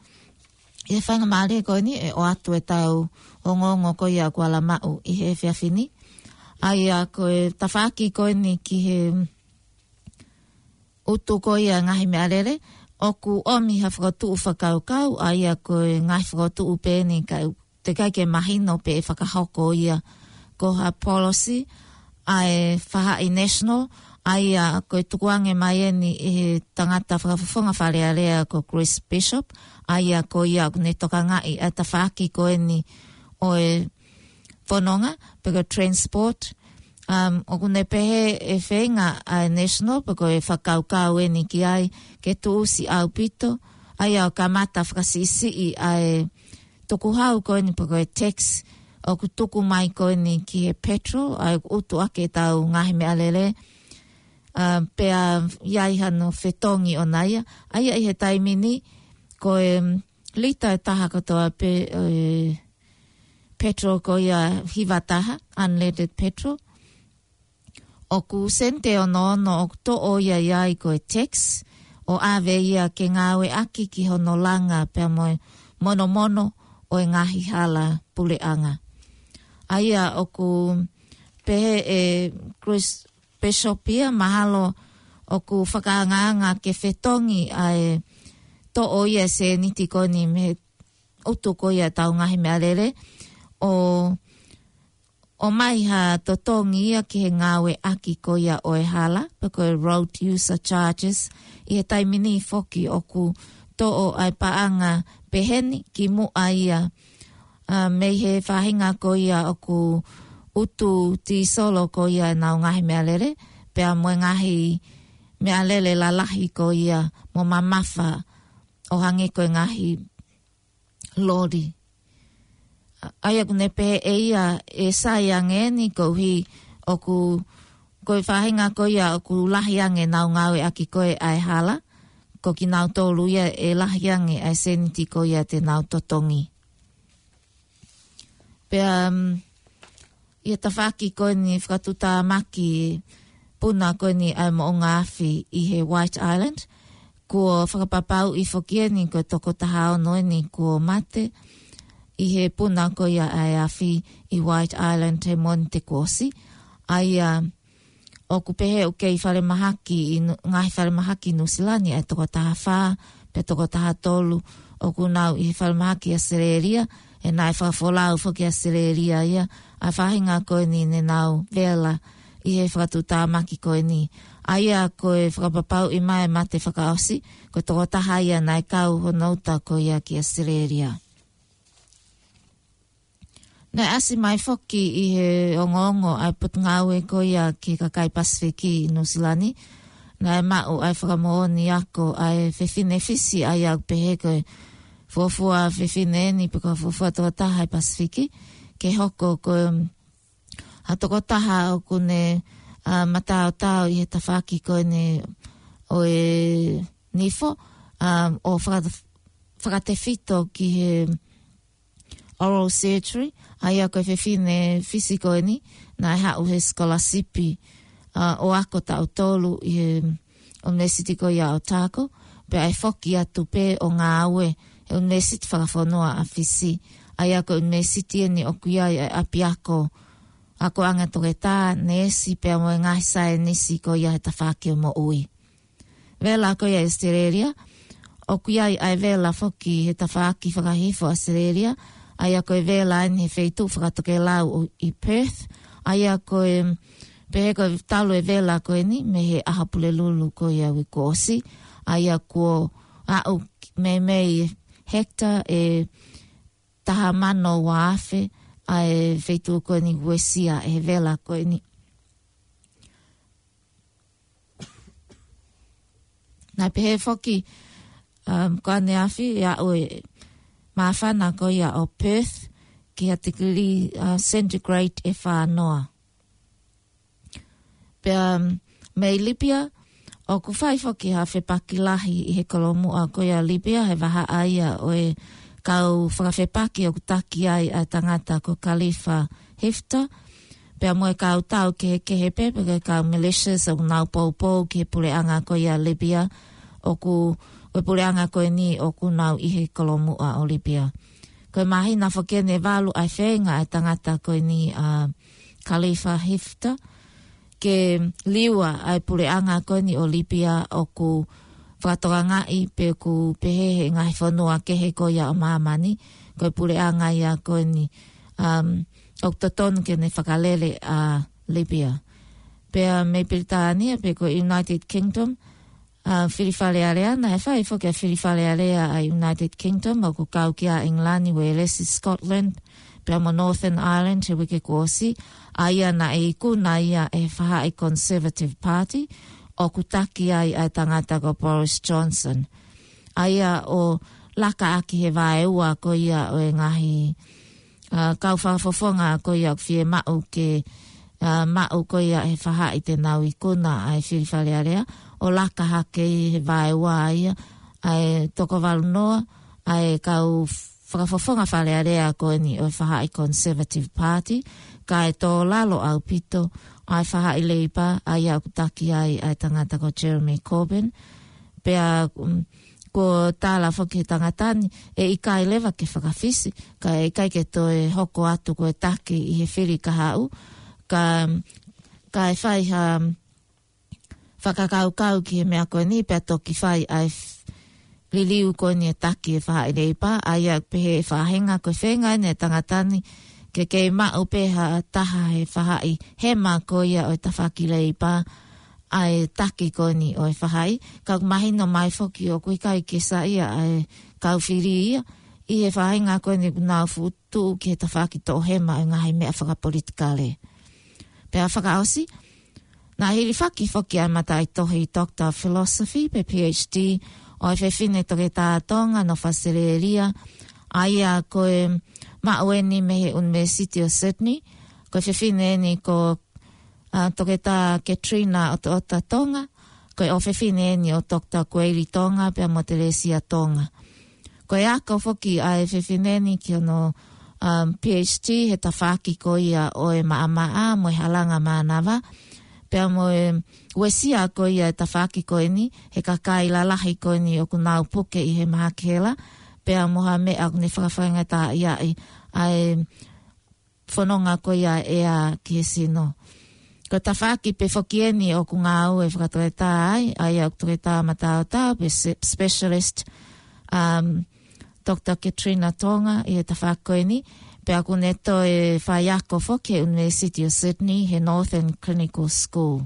ʻI he faingamālie ko eni ʻe ʻoatu e tau ongoongo ko ia kuo ala maʻu ʻi he efiafi ni. ʻA ia ko e tafaʻaki ko eni ki he ʻutu ko ia ngaahi meʻalele, ʻoku ʻomi ha fokotuʻu fakakaukau, ʻa ia ko e ngaahi fokotuʻu pē eni ka ʻoku teʻeki ke mahino pe ʻe fakahoko ia ko ha policy ʻa e faʻahi national, ʻa ia ko e tukuange mai eni ʻe he tangata fakafofonga Fale Alea ko Chris Bishop, ʻa ia ko ia ʻoku ne tokangaʻi ʻa e tafaʻaki ko eni ʻo e fononga, pe ko e transport. Um, ʻoku ne pehē ʻe feinga ʻa e national, pe ko e fakakaukau eni ki ai, ke tuʻusi ʻaupito, ʻa ia ʻo kamata fakasiʻisiʻi ʻa e tukuhau ko eni pe ko e tax ʻoku tuku mai ko eni ki he petrol, ʻa ia ʻoku ʻutu ʻaki ʻetau ngaahi meʻalele, uh, pea ʻi ai hano fetongi ʻona ia. ʻA ia ʻi he taimi ni, ko e, um, lita ʻe taha kotoa pē, e, petrol ko ia hiva taha, unleaded petrol. ʻOku sēniti ʻe ono ono ʻoku toʻo ia ʻi ai ko e tax, ʻo ʻave ia ke ngāueʻaki ki hono langa pea mo e monomono ʻo e ngaahi hala puleʻanga. ʻA ia ʻoku pehē ʻe Chris Bishop ia mahalo ʻoku fakaangaanga ke fetongi ʻa e toʻo ia e sēniti ko eni mei he ʻutu ko ia ʻetau ngaahi meʻalele, ʻo ʻomai ha totongi ia ki he ngāueʻaki ko ia ʻo e hala, pe ko e road user charges, ʻi he taimi ni foki ʻoku toʻo ʻa e paʻanga pehē ni ki muʻa ia, a, mei he faʻahinga ko ia ʻoku ʻutu tīsolo ko ia ʻenau ngaahi meʻalele, pea mo e ngaahi meʻalele lalahi ko ia mo mamafa ʻo hangē ko e ngaahi lori. ʻA ia ʻoku ne pehē ʻe ia ʻe sai ange eni koeʻuhi ʻoku, ko e faʻahinga ko ia ʻoku lahi ange ʻenau ngāueʻaki ko ē ʻa e hala, ko kinautolu ia ʻe lahi ange ʻa e sēniti ko ia te nau totongi. Pea, um, ʻi he tafaʻaki ko eni fakatuʻutāmaki puna ko eni ʻa e moʻunga afi ʻi he White Island, kuo fakapapauʻi foki eni ko e toko taha ono eni kuo mate ʻi he puna ko ia ʻa e afi ʻi White Island he Mōnite kuo ʻosi. ʻA ia ʻoku pehē ʻoku kei falemahaki ʻi Nu-, ngaahi falemahaki ʻi Nuʻusila ni ʻa e toko taha fā, pe toko taha tolu, ʻoku nau ʻi he falemahaki ʻAositelēlia, he naʻe fakafolau foki ʻAositelēlia ia, ʻa e faʻahinga ko eni ne nau vela ʻi he fakatuʻutāmaki ko eni. ʻA ia ko e fakapapauʻi mai mate fakaʻosi, ko e toko taha ia naʻe kau hono uta ko ia ki ʻAositelēlia. Naʻe ʻasi mai foki ʻi he ongoongo ʻa e Potungāue ko ia ki he kakai Pasifiki ʻi Nuʻusila ni. Naʻe maʻu ʻa e fakamoʻoni ako ʻa e fefine Fisi ʻa ia ʻoku pehē ko e fuofua fefine eni pe ko e fuofua toko taha ʻi Pasifiki. Ke hoko ko e, um, ha toko taha ʻoku ne, a, mataotao ʻi he tafaʻaki ko eni ʻo e nifo, um, ʻo faka-, fakatefito ki he oral surgery, ʻa ia ko e fefine Fisi ko eni, naʻe haʻu he scholarship, a, ʻo ako taʻu tolu ʻi he ʻUnivēsiti ko ia ʻo Otago, pea ʻe foki atu pē ʻo ngāue he ʻUnivēsiti Fakafonua ʻa Fisi, ʻa ia ko e ʻunivēsiti eni ʻoku ʻi ai ʻa e ʻapiako akoʻanga toketā, neesi pea mo e ngaahi saienisi ko ia he tafaʻaki ʻo e moʻui. Vela ko ia ʻi ʻAositelēlia, ʻoku ʻi ai ʻa e vela foki he tafaʻaki fakahihifo ʻAositelēlia, ʻa ia ko e vela eni he feituʻu fakatokelau ʻi Perth, ʻa ia ko e pehē ko e talu e vela ko eni mei he ʻAho Pulelulu ko ia uike kuo ʻosi, ʻa ia kuo aʻu meimei hectare ʻe taha mano ua afe ʻa e feituʻu ko eni uesia ʻe he vela ko eni. Naʻe pehē foki, um, ko ʻaneafi ʻe aʻu e māfana ko ia ʻo Perth ki ha tikilī, uh, centigrade ʻe fā noa. Pea, um, mei Libya, ʻoku fai foki ha fepaki lahi ʻi he kolomuʻa ko ia Libya, he vahaʻa ia ʻo e kau fakafepaki ʻoku taki ai ʻa e tangata ko Khalifa Haftar. Pea mo e kau tau kehekehe pē, pe ko e kau militias ʻoku nau poupou ki he puleʻanga ko ia ʻo Lipia, ʻoku, ʻo e puleʻanga ko eni ʻoku nau ʻi he kolomuʻa ʻo Lipia. Ko e māhina foki eni ʻe valu ʻa e feinga ʻa e tangata ko eni ʻa Khalifa Haftar, ke liua ʻa e puleʻanga ko eni ʻo Lipia ʻoku fakatokangaʻi pe ʻoku pehē he ngaahi fonua kehe ko ia ʻo māmani, ko e puleʻanga ia ko eni, um, ʻoku totonu ke ne fakalele ʻa Lipia. Pea mei Pilitānia pe ko e United Kingdom, ʻa e fili Fale Alea, naʻe fai foki ʻa e fili Fale Alea ʻa e United Kingdom, ʻoku kau ki ai ʻa ʻIngilani, Uēlesi, Scotland, pea mo Northern Ireland he uike kuo ʻosi, ʻa ia naʻe ikuna ia ʻe he faʻahi Conservative Party, ʻoku taki ai ʻa e tangata ko Boris Johnson. ʻA ia ʻo laka ʻaki he vaeua ko ia ʻo e ngaahi, ʻa, kau fakafofonga ko ia ʻoku fiemaʻu ke, ʻa, maʻu ko ia ʻe he faʻahi te nau ikuna ʻa e fili Fale Alea, ʻo laka hake ʻi he vaeua ia ʻa e toko valu noa ʻa e kau fakafofonga Fale Alea ko eni ʻo e faʻahi Conservative Party, kae tō lalo ʻaupito ʻa e faʻahi Leipa, ʻa ia ʻoku taki ai ʻa e tangata ko Jeremy Corbyn. Pea, um, kuo tala foki he tangata ni, ʻe ʻikai leva ke fakafisi, kae ʻikai ke toe hoko atu ko e taki ʻi he fili kahaʻu, ka, kae fai ha, um, fakakaukau ki he meʻa ko eni pea toki fai ʻa e f-, liliu ko eni e taki ʻe he faʻahi Leipa, ʻa ia pehē ʻe he faʻahinga ko e feinga eni ʻa e tangata ni ke kei maʻu pē ha taha he faʻahi hema ko ia ʻo e tafaʻaki Leipa ʻa e taki ko eni ʻo e faʻahi, ka ʻoku mahino mai foki ʻoku ʻikai ke saiʻia ʻa e kau fili ia ʻi he faʻahinga ko eni ʻoku nau fuʻu tuʻu ki he tafaʻaki toʻohema ʻo e ngaahi meʻa fakapolitikale. Pea fakaʻosi, naʻe hilifaki foki ʻa e mataʻitohi Doctor of Philosophy pe PhD ʻo e fefine toketā Tonga nofo ʻAositelēlia, ʻa ia ko e maʻu eni mei he University of Sydney, ko e fefine eni ko, ʻa, Toketā Katrina ʻOtoʻota Tonga, ko e ʻofefine eni ʻo Doctor Kueili Tonga pea mo Telesia Tonga. Ko e ako foki ʻa e fefine ni ki hono, um, PhD he tafaʻaki ko ia ʻo e maʻamaʻa mo e halanga mānava. Pea mo e uesia ko ia e tafaʻaki ko eni he kakai lalahi ko eni ʻoku nau puke ʻi he mahaki hela. Pea mo ha meʻa ʻoku ne fakafaingataʻaʻia ai ʻa e fononga ko ia ʻea ki he sino. Ko e tafaʻaki pē foki eni ʻoku ngāue fakatoketā ai, ʻa ia ʻoku toketā mataotao pe se-, specialist, um, Doctor Katrina Tonga ʻi he tafaʻaki ko eni, pea ʻoku ne toe faiako foki he University of Sydney he Northern Clinical School.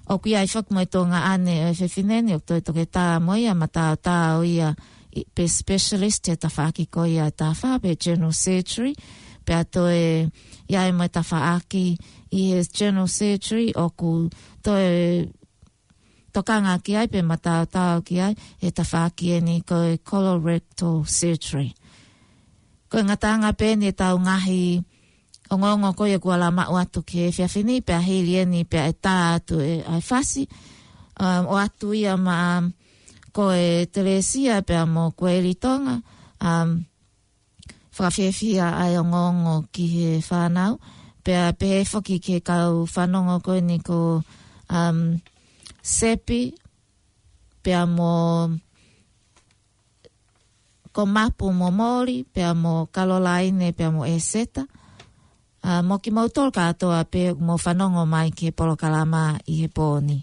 ʻOku ʻi ai foki mo e tuongaʻane ʻo e fefine ni ʻoku toe toketā mo ia mataotao ia ʻi, pe specialist he tafaʻaki ko ia ʻe taha fā pe general surgery, pea toe ʻi ai mo e tafaʻaki ʻi he general surgery ʻoku toe tokanga ki ai pe mataotao ki ai he tafaʻaki eni ko e colorectal surgery. Ko e ngataʻanga pē eni ʻetau ngaahi ongoongo ko ia kuo lava maʻu atu ki he efiafi ni, pea hili eni pea ʻe tā atu e, ʻa e fasi, um, ʻoatu ia maʻa, um, ko e Telesia pea mo Kueili Tonga, um, fakafiefia ʻa e ongoongo ki he fānau, pea pehē foki ki he kau fanongo ko eni ko, um, Sepi, pea mo ko Mapu mo Moli, pea mo Kalolaine, pea mo ʻEseta. ʻA, mo kimoutolu kātoa pē ʻoku mou fanongo mai ki he polokalama ʻi he pō ni.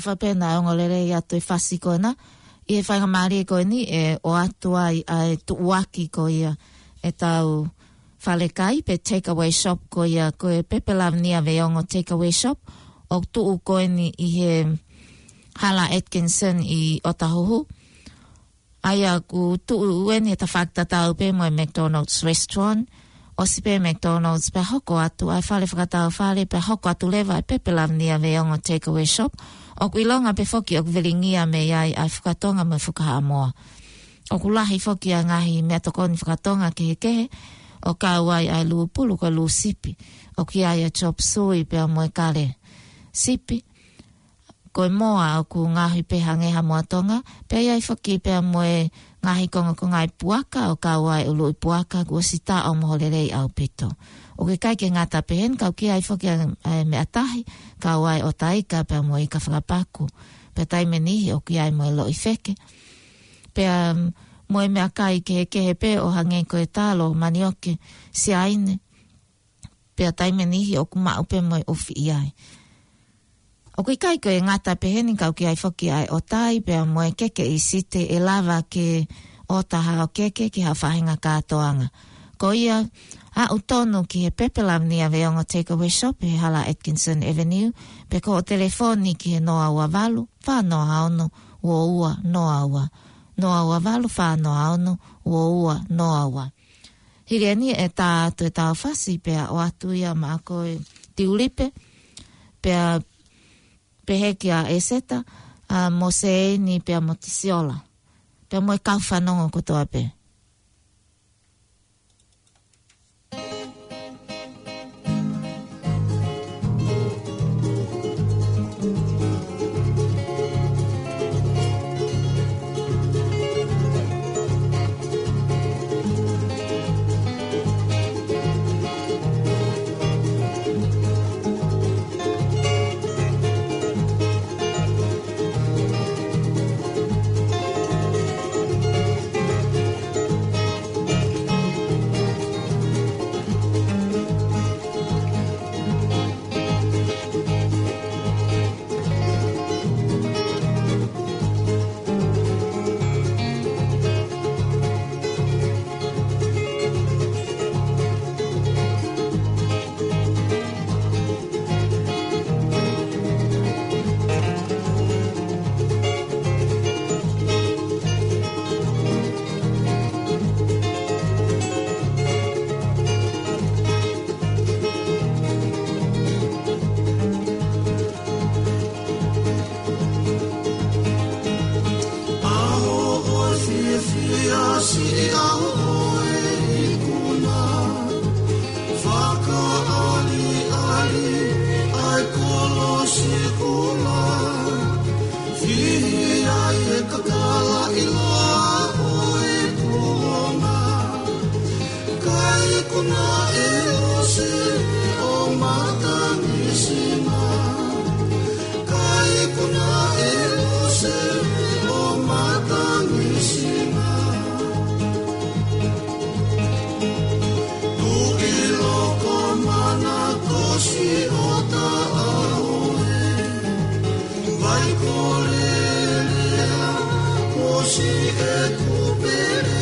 ʻOfa pē naʻe ongo lelei atu e fasi ko ena. ʻI he faingamālie ko eni ʻe ʻoatu ai ʻa e tuʻuaki ko ia ʻetau falekai pe takeaway shop ko ia ko e Pepe Lavinia Veiongo Takeaway Shop ʻoku tuʻu ko eni ʻi he Hala Atkinson ʻi ʻOtahuhu. ʻA ia ʻoku tuʻu eni he tafaʻaki tatau pē mo e McDonald's Restaurant. ʻOsi pē McDonald's pea hoko atu ʻa e fale fakatau fale pea hoko atu leva e Pepe Lavinia Veiongo Takeaway Shop. ʻOku ʻilonga pē foki ʻoku velingia mei ai ʻa e fakatonga mo e fakahaʻamoa. ʻOku lahi foki ʻa e ngaahi meʻatokoni fakatonga kehekehe ʻo kau ai ʻa e lūpulu ko e lū sipi. ʻOku ʻi ai ʻa e chop suey pea mo e kale sipi. Ko e moa ʻoku ngaohi pē hangē ha moa Tonga, pea ʻi ai foki pea mo e ngaahi kongokonga ʻi puaka ʻo kau ai ʻuluʻi puaka kuo ʻosi taʻo moho lelei ʻaupito. ʻOku ʻikai ke ngata pē heni ka ʻoku ʻi ai foki ʻa e, ʻa e meʻa tahi, kau ai ʻota ika pea mo e ika fakapaku. Pea taimi ʻe niʻihi ʻoku ʻi ai mo e loʻi feke. Pea, mm, mo e meʻakai kehekehe pē ʻo hangē ko e talo, manioke, siaine, pea taimi ʻe niʻihi ʻoku maʻu pē mo e ʻufi ʻi ai. ʻOku ʻikai ko e ngata pē heni ka ʻoku ʻi ai foki ʻa e ʻotai pea mo e keke ʻi Site ʻe lava ke ʻota haʻo keke ki ha faʻahinga kātoanga. Ko ia aʻu tonu ki he Pepe Lavinia Veiongo Takeaway Shop he Hala Atkinson Avenue, pe ko hoʻo telefoni ki he noa ua valu, fā noa ono, ua ua noa ua. Noa ua valu, fā noa ono, ua ua noa ua. Hili eni ʻe tā atu ʻetau fasi pea ʻoatu ia maʻa koe Tiulipe, pea pehē kia ʻEseta, ʻa Moseini pea mo Tisiola. Pea mo e kau fanongo kotoa pē. Kuna e ʻosi ʻo matangi sima. Ka ikuna e ʻosi ʻo matangi sima. Tuʻi loko mana kosi ʻo taʻaoe. Vai kolelea kosi e kupele.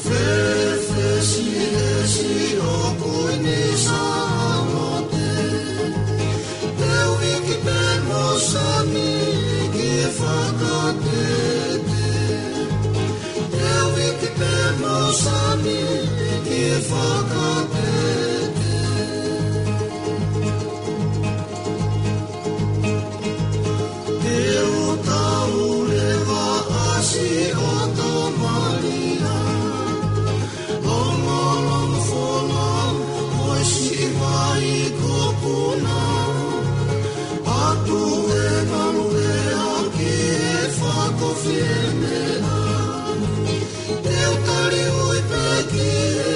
Fefesi esi ʻo kui ni samote. Teu iki pe mo sami ki fakatete. Teu iki pe mo sami ki fakatete. Te u tau leva ʻasi ʻo tō malia. Longolongo folau, ʻosi i vai ko puna. Atu e malu e aki e fakofie meʻa. Te u tali ui peki e,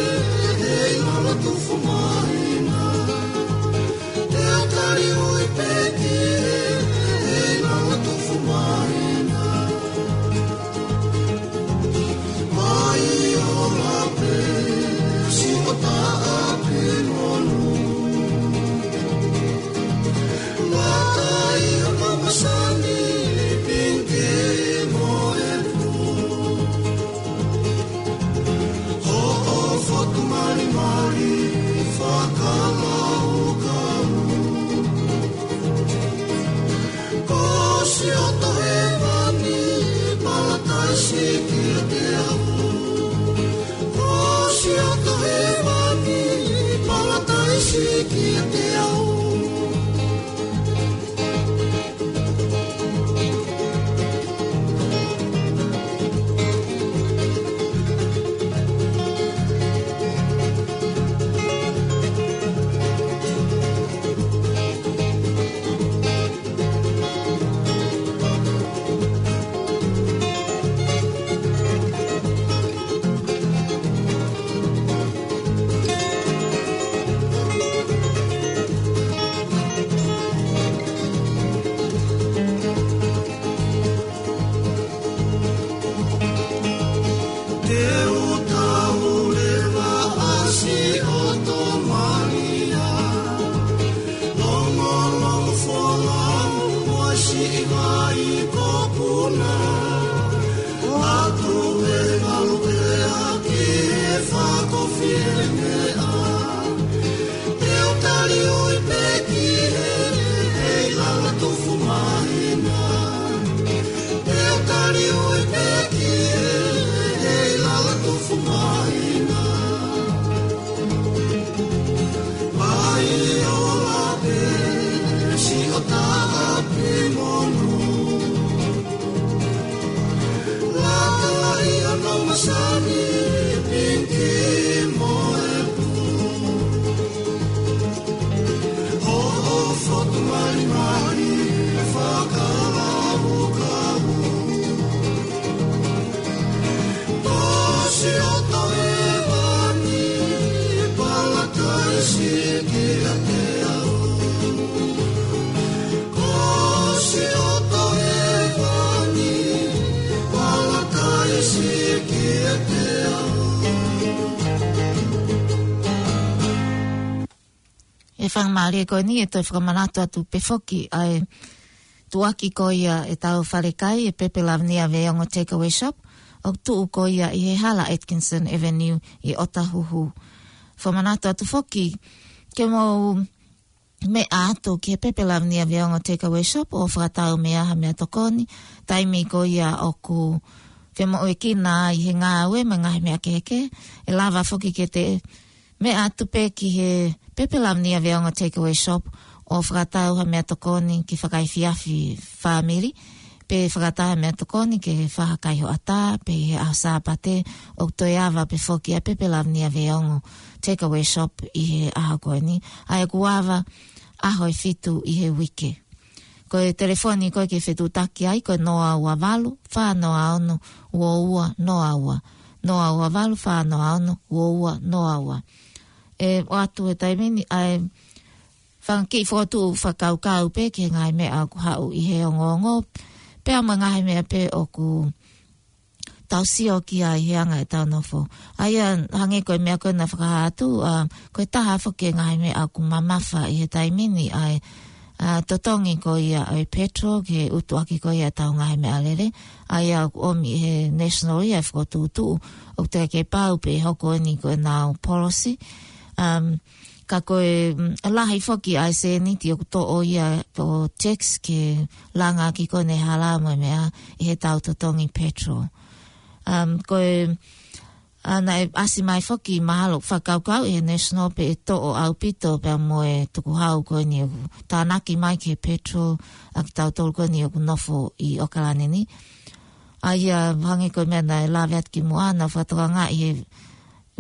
e i lala tufu mahina. Te u tali ui peki e, e i lala tufu mahina. Mai o lape, si o taʻapi monu. Matai o mamasani, pinki mo e pū. Hoʻo fotu malimali fakalaukau. Ko Siota Hēvani, palataisi kiate au. Ko Siota Hēvani, palataisi kiate au. Te u tau leva ʻasi ʻo tō malia. Longolongo folau, ʻosi i vai ko puna. Atu e malu e aki e fakofie meʻa. Te u tali ui peki e, e i lala tufu mahina. Te u tali ui peki e, e i lala tufu mahina. Mai o lape, si o taʻapi monu. Lata i ono masani, pinki mo e pū. Hoʻo fotu malimali fakalaukau. Ko Siota Hēvani, palataisi kiate au. Ko Siota Hēvani, palataisi kiate au. ʻE fakamālie ko eni ʻe toe fakamanatu atu pē foki ʻa e tuʻuaki ko ia ʻetau falekai, ʻe Pepe Lavinia Veongo Takeaway Shop, ʻoku tuʻu ko ia ʻi he Hala Atkinson Avenue ʻi Otahuhu. Fakamanatu atu foki ke mou meʻa atu ki he Pepe Lavinia Veongo Takeaway Shop ʻo fakatau mei ai ha meʻatokoni, taimi ko ia ʻoku femoʻuekina ai he ngāue mo e ngaahi meʻa kehekehe, ʻe lava foki ke te meʻa atu pē ki he Pepe Lavinia Veongo Takeaway Shop ʻo fakatau ha meʻatokoni ki he fakaefiafi fāmili, pe fakatau ha meʻatokoni ki he faʻahi kai hoʻatā, pe ʻi he ʻaho Sāpate, ʻoku toe ava pē foki ʻa Pepe Lavinia Veongo Takeaway Shop ʻi he ʻaho ko eni. ʻA ia ʻoku ava ʻaho ʻe fitu ʻi he uike. Ko e telefoni ko ē ke fetuʻutaki ai, ko e noa ua valu, fā noa ono, ua ua noa ua. noa ua valu, fā noa ono, ua ua noa ua. ʻE ʻoatu he taimi ni ʻa e fanga kiʻi fokotuʻu fakakaukau pē ki he ngaahi meʻa ʻoku haʻu ʻi he ongoongo, pea mo e ngaahi meʻa pē ʻoku tau sio ki ai he anga ʻetau nofo. ʻA ia, hangē ko e meʻa ko ē naʻe fakahā atu, ʻa, ko e taha foki e ngaahi meʻa ʻoku mamafa ʻi he taimi ni ʻa e, ʻa, totongi ko ia ʻo e petrol ke utuʻaki ko ia ʻetau ngaahi meʻalele. ʻA ia ʻoku ʻomi ʻe he National ia e fokotuʻutuʻu ʻoku teʻeki ke pau pē hoko eni ko ʻenau policy. Um, ka ko e, mm, lahi foki ʻa e sēniti ʻoku toʻo ia ʻo tax ke langa ki ko ʻene hala mo e meʻa ʻi heʻetau totongi petrol. Um, ko e, ʻa, naʻe ʻasi mai foki mahalo fakakaukau ʻe he National pē ʻe toʻo ʻaupito pea mo e tukuhau ko eni ʻoku tānaki mai ki he petrol ʻa kitautolu ko eni ʻoku nofo ʻi ʻOkalani ni. ʻA ia hangē ko e meʻa naʻe lave atu kimuʻa, naʻa fakatokangaʻi he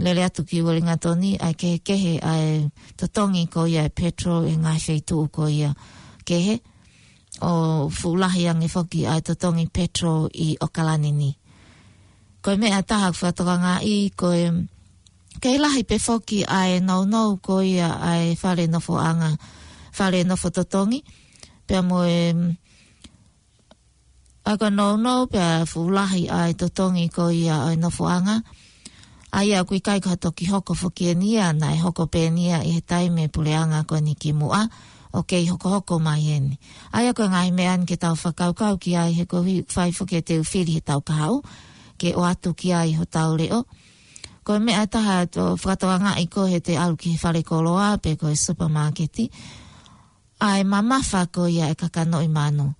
lele atu ki Uelingatoni, ʻa e kehekehe ʻa e totongi ko ia e petrol ʻi he ngaahi feituʻu ko ia kehe, ʻo fuʻu lahi ange foki ʻa e totongi petrol ʻi ʻOkalani ni. Ko e meʻa ʻe taha ʻoku fakatokangaʻi ko e kei lahi pē foki ʻa e nounou ko ia ʻa e fale nofoʻanga, fale nofo totongi, pea mo e ʻa e ko e nounou pea fuʻu lahi ʻa e totongi ko ia ʻo e nofoʻanga. ʻA ia ʻoku ʻikai ko ha toki hoko foki eni ia, naʻe hoko pē eni ia ʻi he taimi e puleʻanga ko eni kimuʻa, ʻo kei hokohoko mai eni. ʻA ia ko e ngaahi meʻa ni ke tau fakakaukau ki ai he koeʻuhi ʻoku fai foki ʻetau fili heʻetau kahaʻu, ke ʻoatu ki ai hotau leʻo. Ko e meʻa ʻe taha ʻoku fakatokangaʻi ko ē heʻete ʻalu ki he fale koloa pe ko e supermarket, ʻa e mamafa ko ia e kakanoʻi manu.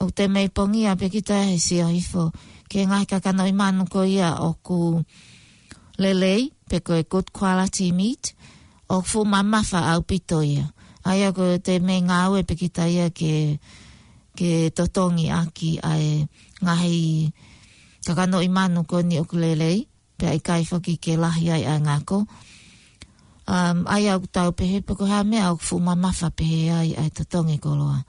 ʻOku te mei pongia pē kita he sio hifo ki he ngaahi kakanoʻi manu ko ia ʻoku lelei, pe ko e good quality meat, ʻoku fuʻu mamafa ʻaupito ia. ʻA ia ʻoku te mei ngāue pē kita ia ke, ke totongi ʻaki ʻa e ngaahi kakanoʻi manu ko eni ʻoku lelei, pea ʻikai foki ke lahi ai ʻa e ngako. Um, ʻa ia ʻoku tau pehē pe ko e hā e meʻa ʻoku fuʻu mamafa pehē ai ʻa e totongi koloa.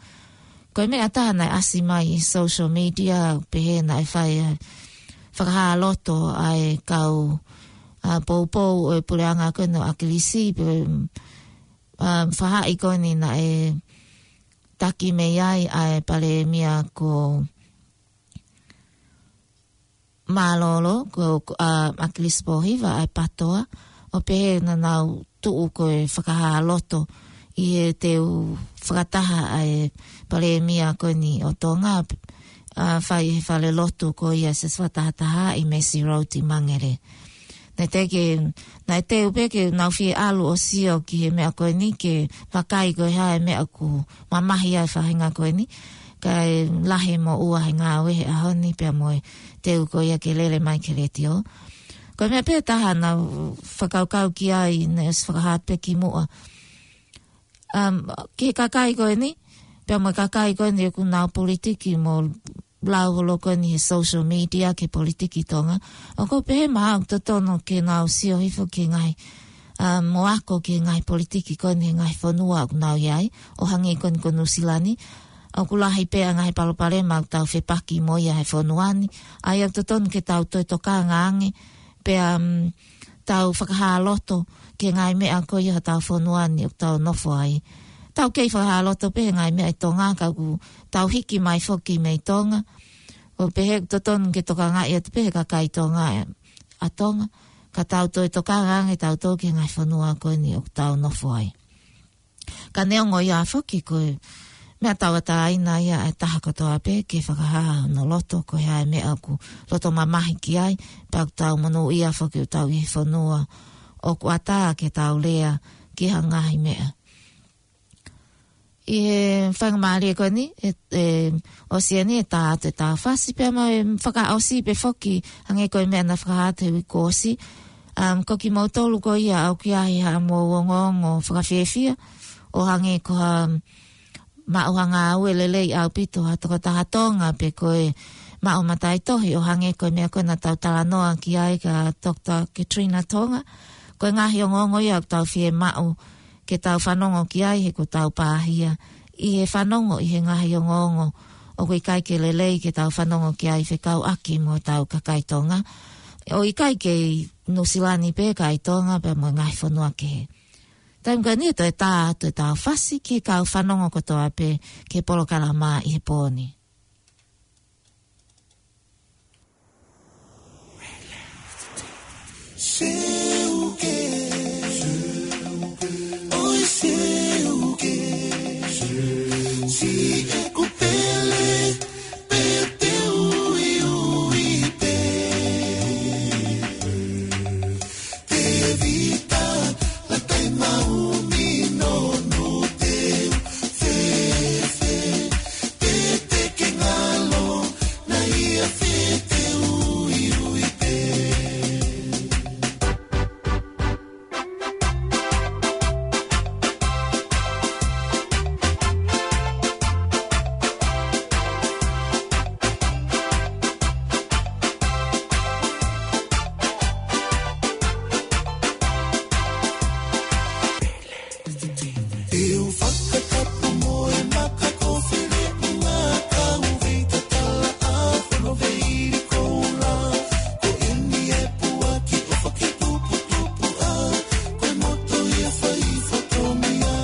Ko e meʻa ʻe taha naʻe ʻasi mai ʻi social media, pehē naʻe fai ʻa e fakahā loto ʻa e kau, ʻa, poupou ʻo e puleʻanga ko eni ʻo ʻAkilisi, pe, um, fahaʻi ko eni naʻe taki mei ai ʻa e palēmia ko Mālōlō, ko, ko, ʻa, ʻAkilisi Pōhiva, ʻa e PATOA, ʻo pehē naʻa nau tuʻu ko e fakahā loto ʻi he teu fakataha ʻa e palēmia ko eni ʻo Tonga, ʻa, fai he fale lotu ko ia Siasi Fakatahataha ʻi Mercy Road ʻi Mangere. Naʻe teʻeki, naʻe teu pē ke nau fie ʻalu ʻo sio ki he meʻa ko eni ke vakai ko e hā e meʻa ʻoku mamahi ai e faʻahinga ko eni. Kae lahi mo ua he ngāue he ʻaho ni pea mo e teu ko ia ke lele mai ki he letiō. Ko e meʻa pē ʻe taha naʻa fakakaukau ki ai naʻe ʻosi fakahā pē kimuʻa. Um, ki he kakai ko eni, pea mo e kakai ko eni ʻoku nau politiki mo lau holo ko eni he social media ki he politiki Tonga. ʻOku ou pehē mahalo ʻoku totonu ke nau sio hifo ki he ngaahi, um, mo ako ki he ngaahi politiki ko eni he ngaahi fonua ʻoku nau ʻi ai, ʻo hangē ko eni ko Nuʻusila ni. ʻOku lahi pē ʻa e ngaahi palopalema ʻoku tau fepaki mo ia he fonua ni. ʻA ia ʻoku totonu ke tau toe tokanga ange, pea, um, tau fakahā loto ki he ngaahi meʻa ko ia hotau fonua ni ʻoku tau nofo ai. Tau kei fakahā loto pē he ngaahi meʻa ʻi Tonga, ka ʻoku tau hiki mai foki mei Tonga. ʻOku pehē ʻoku totonu ke tokangaʻi atu pē he kakai Tonga ʻa Tonga, ka tau toe tokanga ange tautolu ki he ngaahi fonua ko eni ʻoku tau nofo ai. Ka neongo ia foki ko e meʻa tauʻatāina ia ʻa e taha kotoa pē ke fakahā hono loto ko e hā e meʻa ʻoku loto mamahi ki ai, pea ʻoku tau monūʻia foki ʻoku tau ʻi he fonua ʻoku ʻatā ke tau lea ki he ngaahi meʻa. ʻI he faingamālie ko eni, ʻe, ʻe, ʻosi eni e tā atu e tā fasi pea mo e fakaʻosi pē foki, hangē ko e meʻa naʻe fakahā atu he uike kuo ʻosi. Um, ko kimoutolu ko ia ʻoku ʻi ai haʻamou ongoongo fakafiefia, ʻo hangē ko ha maʻu ha ngāue lelei ʻaupito ha tokotaha Tonga pe ko e maʻu mataʻitohi ʻo hangē ko e meʻa ko ē naʻa tau talanoa ki ai kia Doctor Katrina Tonga. Ko e ngaahi ongoongo ia ʻoku tau fiemaʻu ke tau fanongo ki ai he kuo tau pāhia ʻi he fanongo ʻi he ngaahi ongoongo ʻoku ʻikai ke lelei ke tau fanongo ki ai fekauʻaki mo hotau kakai Tonga. ʻo ʻikai kei Nuʻusila ni pē, ka ʻi Tonga pea mo e ngaahi fonua kehe. Taimi ko eni ʻe toe tā atu e tau fasi ki he kau fanongo kotoa pē ki he polokalama ʻi he pō ni. Seuke, ʻoi seuke, siʻeku pele, pete ui ui pē. Tevita, Latai Maumi, Nono, Teu, Fefe, Pete ke ngalo, na ia fete ui ui pē. Te u fakatapu mo e maka ko Feleʻunga, ka u vei tatala a fono vei ili koula. Ko eni e puaki ʻofa ke tuputupu a, ko e moto ia fai fatongia.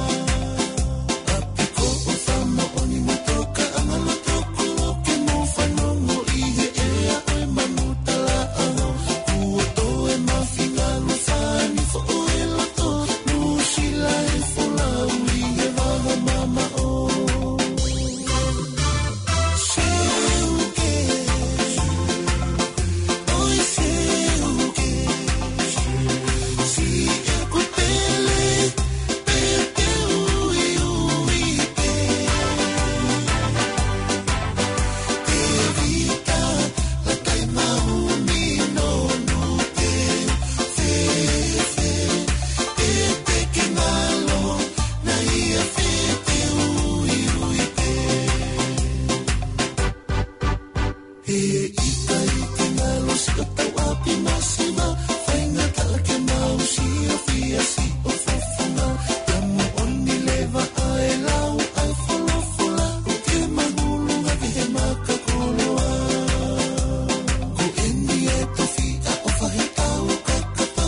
ʻApi ko ʻofa moʻoni mo toka anga loto kolo ke mo fanongo ʻi he ʻea ʻo e manu talaʻaho. Kuo toe mafi ngalu fani foʻo e loto, Nuʻusila e folau ʻi he vaha mamaʻo. Seuke, ʻoi seuke, siʻeku pele, pete ui ui pē. Tevita, Latai Maumi, Nono, Teu, Fefe, Pete ke ngalo, na ia fete ui ui pē. He ʻikai ke ngalo siʻo tau ʻapi masiva, faingataʻa ke mau siʻo fia siʻo fofonga. Ka moʻoni leva ʻa e lau ʻa e folofola, ʻoku ke mahulu ngaahi he maka koloa. Ko eni e tofiʻa ʻofa he tau kakapa,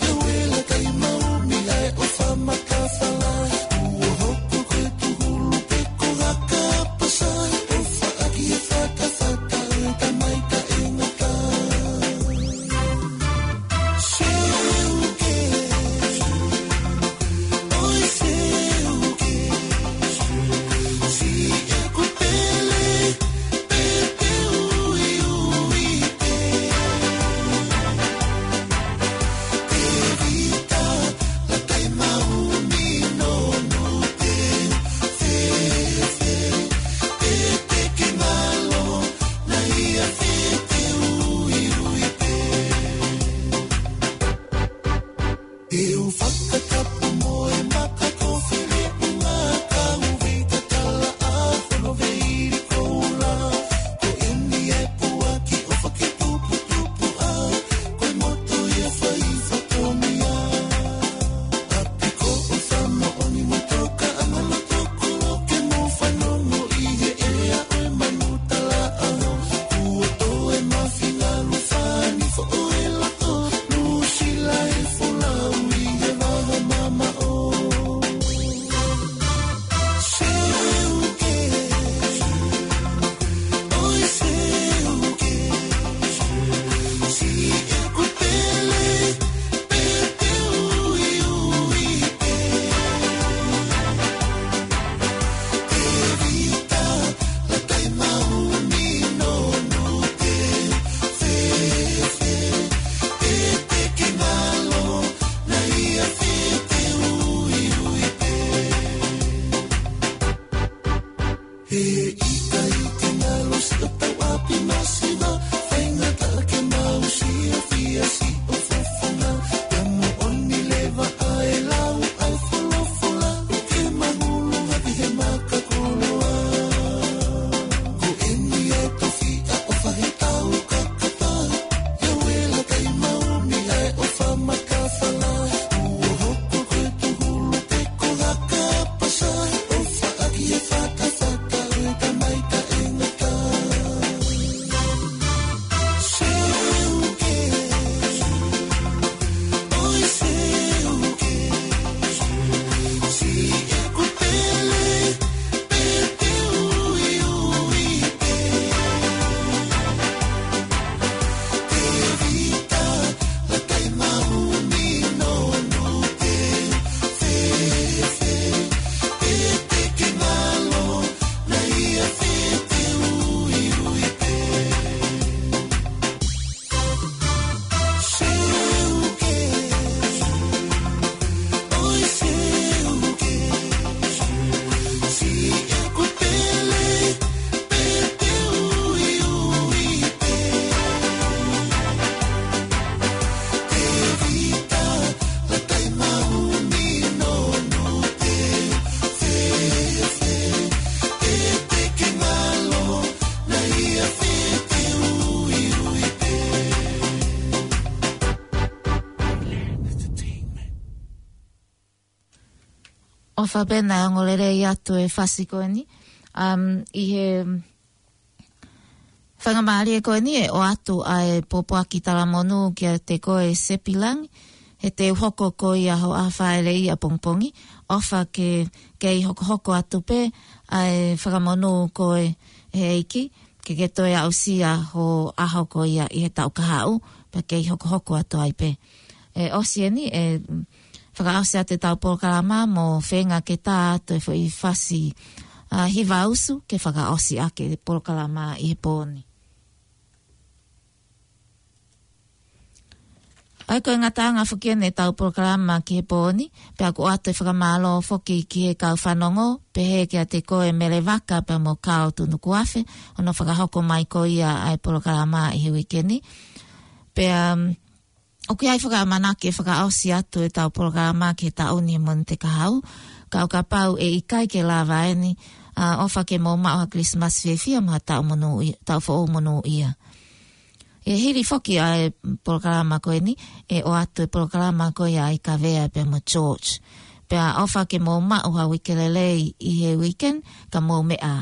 he uela Latai Maumi ʻa e ʻofa matafala. Kuo hoko ko e tuhulu pe ko haka pasa, ʻofa ʻaki e fatafata ʻo e tamai taʻengata. Seuke, ʻoi seuke, siʻeku pele, pete ui ui pē. Tevita, Latai Maumi, Nono, Teu, Fefe, Pete ke ngalo, na ia fete ui ui pē. ʻOfa pē naʻe ongo lelei atu e fasi ko eni. Um, ʻi he faingamālie ko eni ʻe ʻoatu ʻa e pōpoaki talamonū kiate koe Sepilangi, he te u hoko ko ia ho ʻaho fāʻeleʻi ʻapongipongi, ʻofa ke, ke kei hokohoko atu pē ʻa e fakamonū ko e he ʻEiki, ke ke toe aʻusia ho ʻaho ko ia ʻi he taʻu kahaʻu, pea kei hokohoko atu ai pē. ʻE ʻosi eni, ʻe fakaʻosi atu ʻetau polokalama mo feinga ke tā atu e foʻi fasi, a, hiva usu ke fakaʻosi ʻaki e polokalama ʻi he pō ni. ʻA ia ko e ngataʻanga foki eni ʻetau polokalama ki he pō ni, pea ʻoku ʻoatu e fakamālō foki ki he kau fanongo, pehē kiate koe Mele Vaka pea mo Kao Tunukuafe, hono fakahoko mai ko ia ʻa e polokalama ʻi he uike ni. Pea, um, ʻoku ʻi ai fakaʻamanaki e fakaʻosi atu ʻetau polokalama ki he taʻu ni he Mōnite kahaʻu, ka ʻo kapau ʻe ʻikai ke lava eni, a, ʻofa ke mou maʻu ha Christmas fiefia mo ha taʻu monūʻi-, taʻu foʻou monūʻia. ʻE hili foki ʻa e polokalama ko eni, ʻe ʻoatu e polokalama ko ia ʻa Kavea pea mo George. Pea ʻofa ke mou maʻu ha uike lelei ʻi he weekend, ka mou meʻa.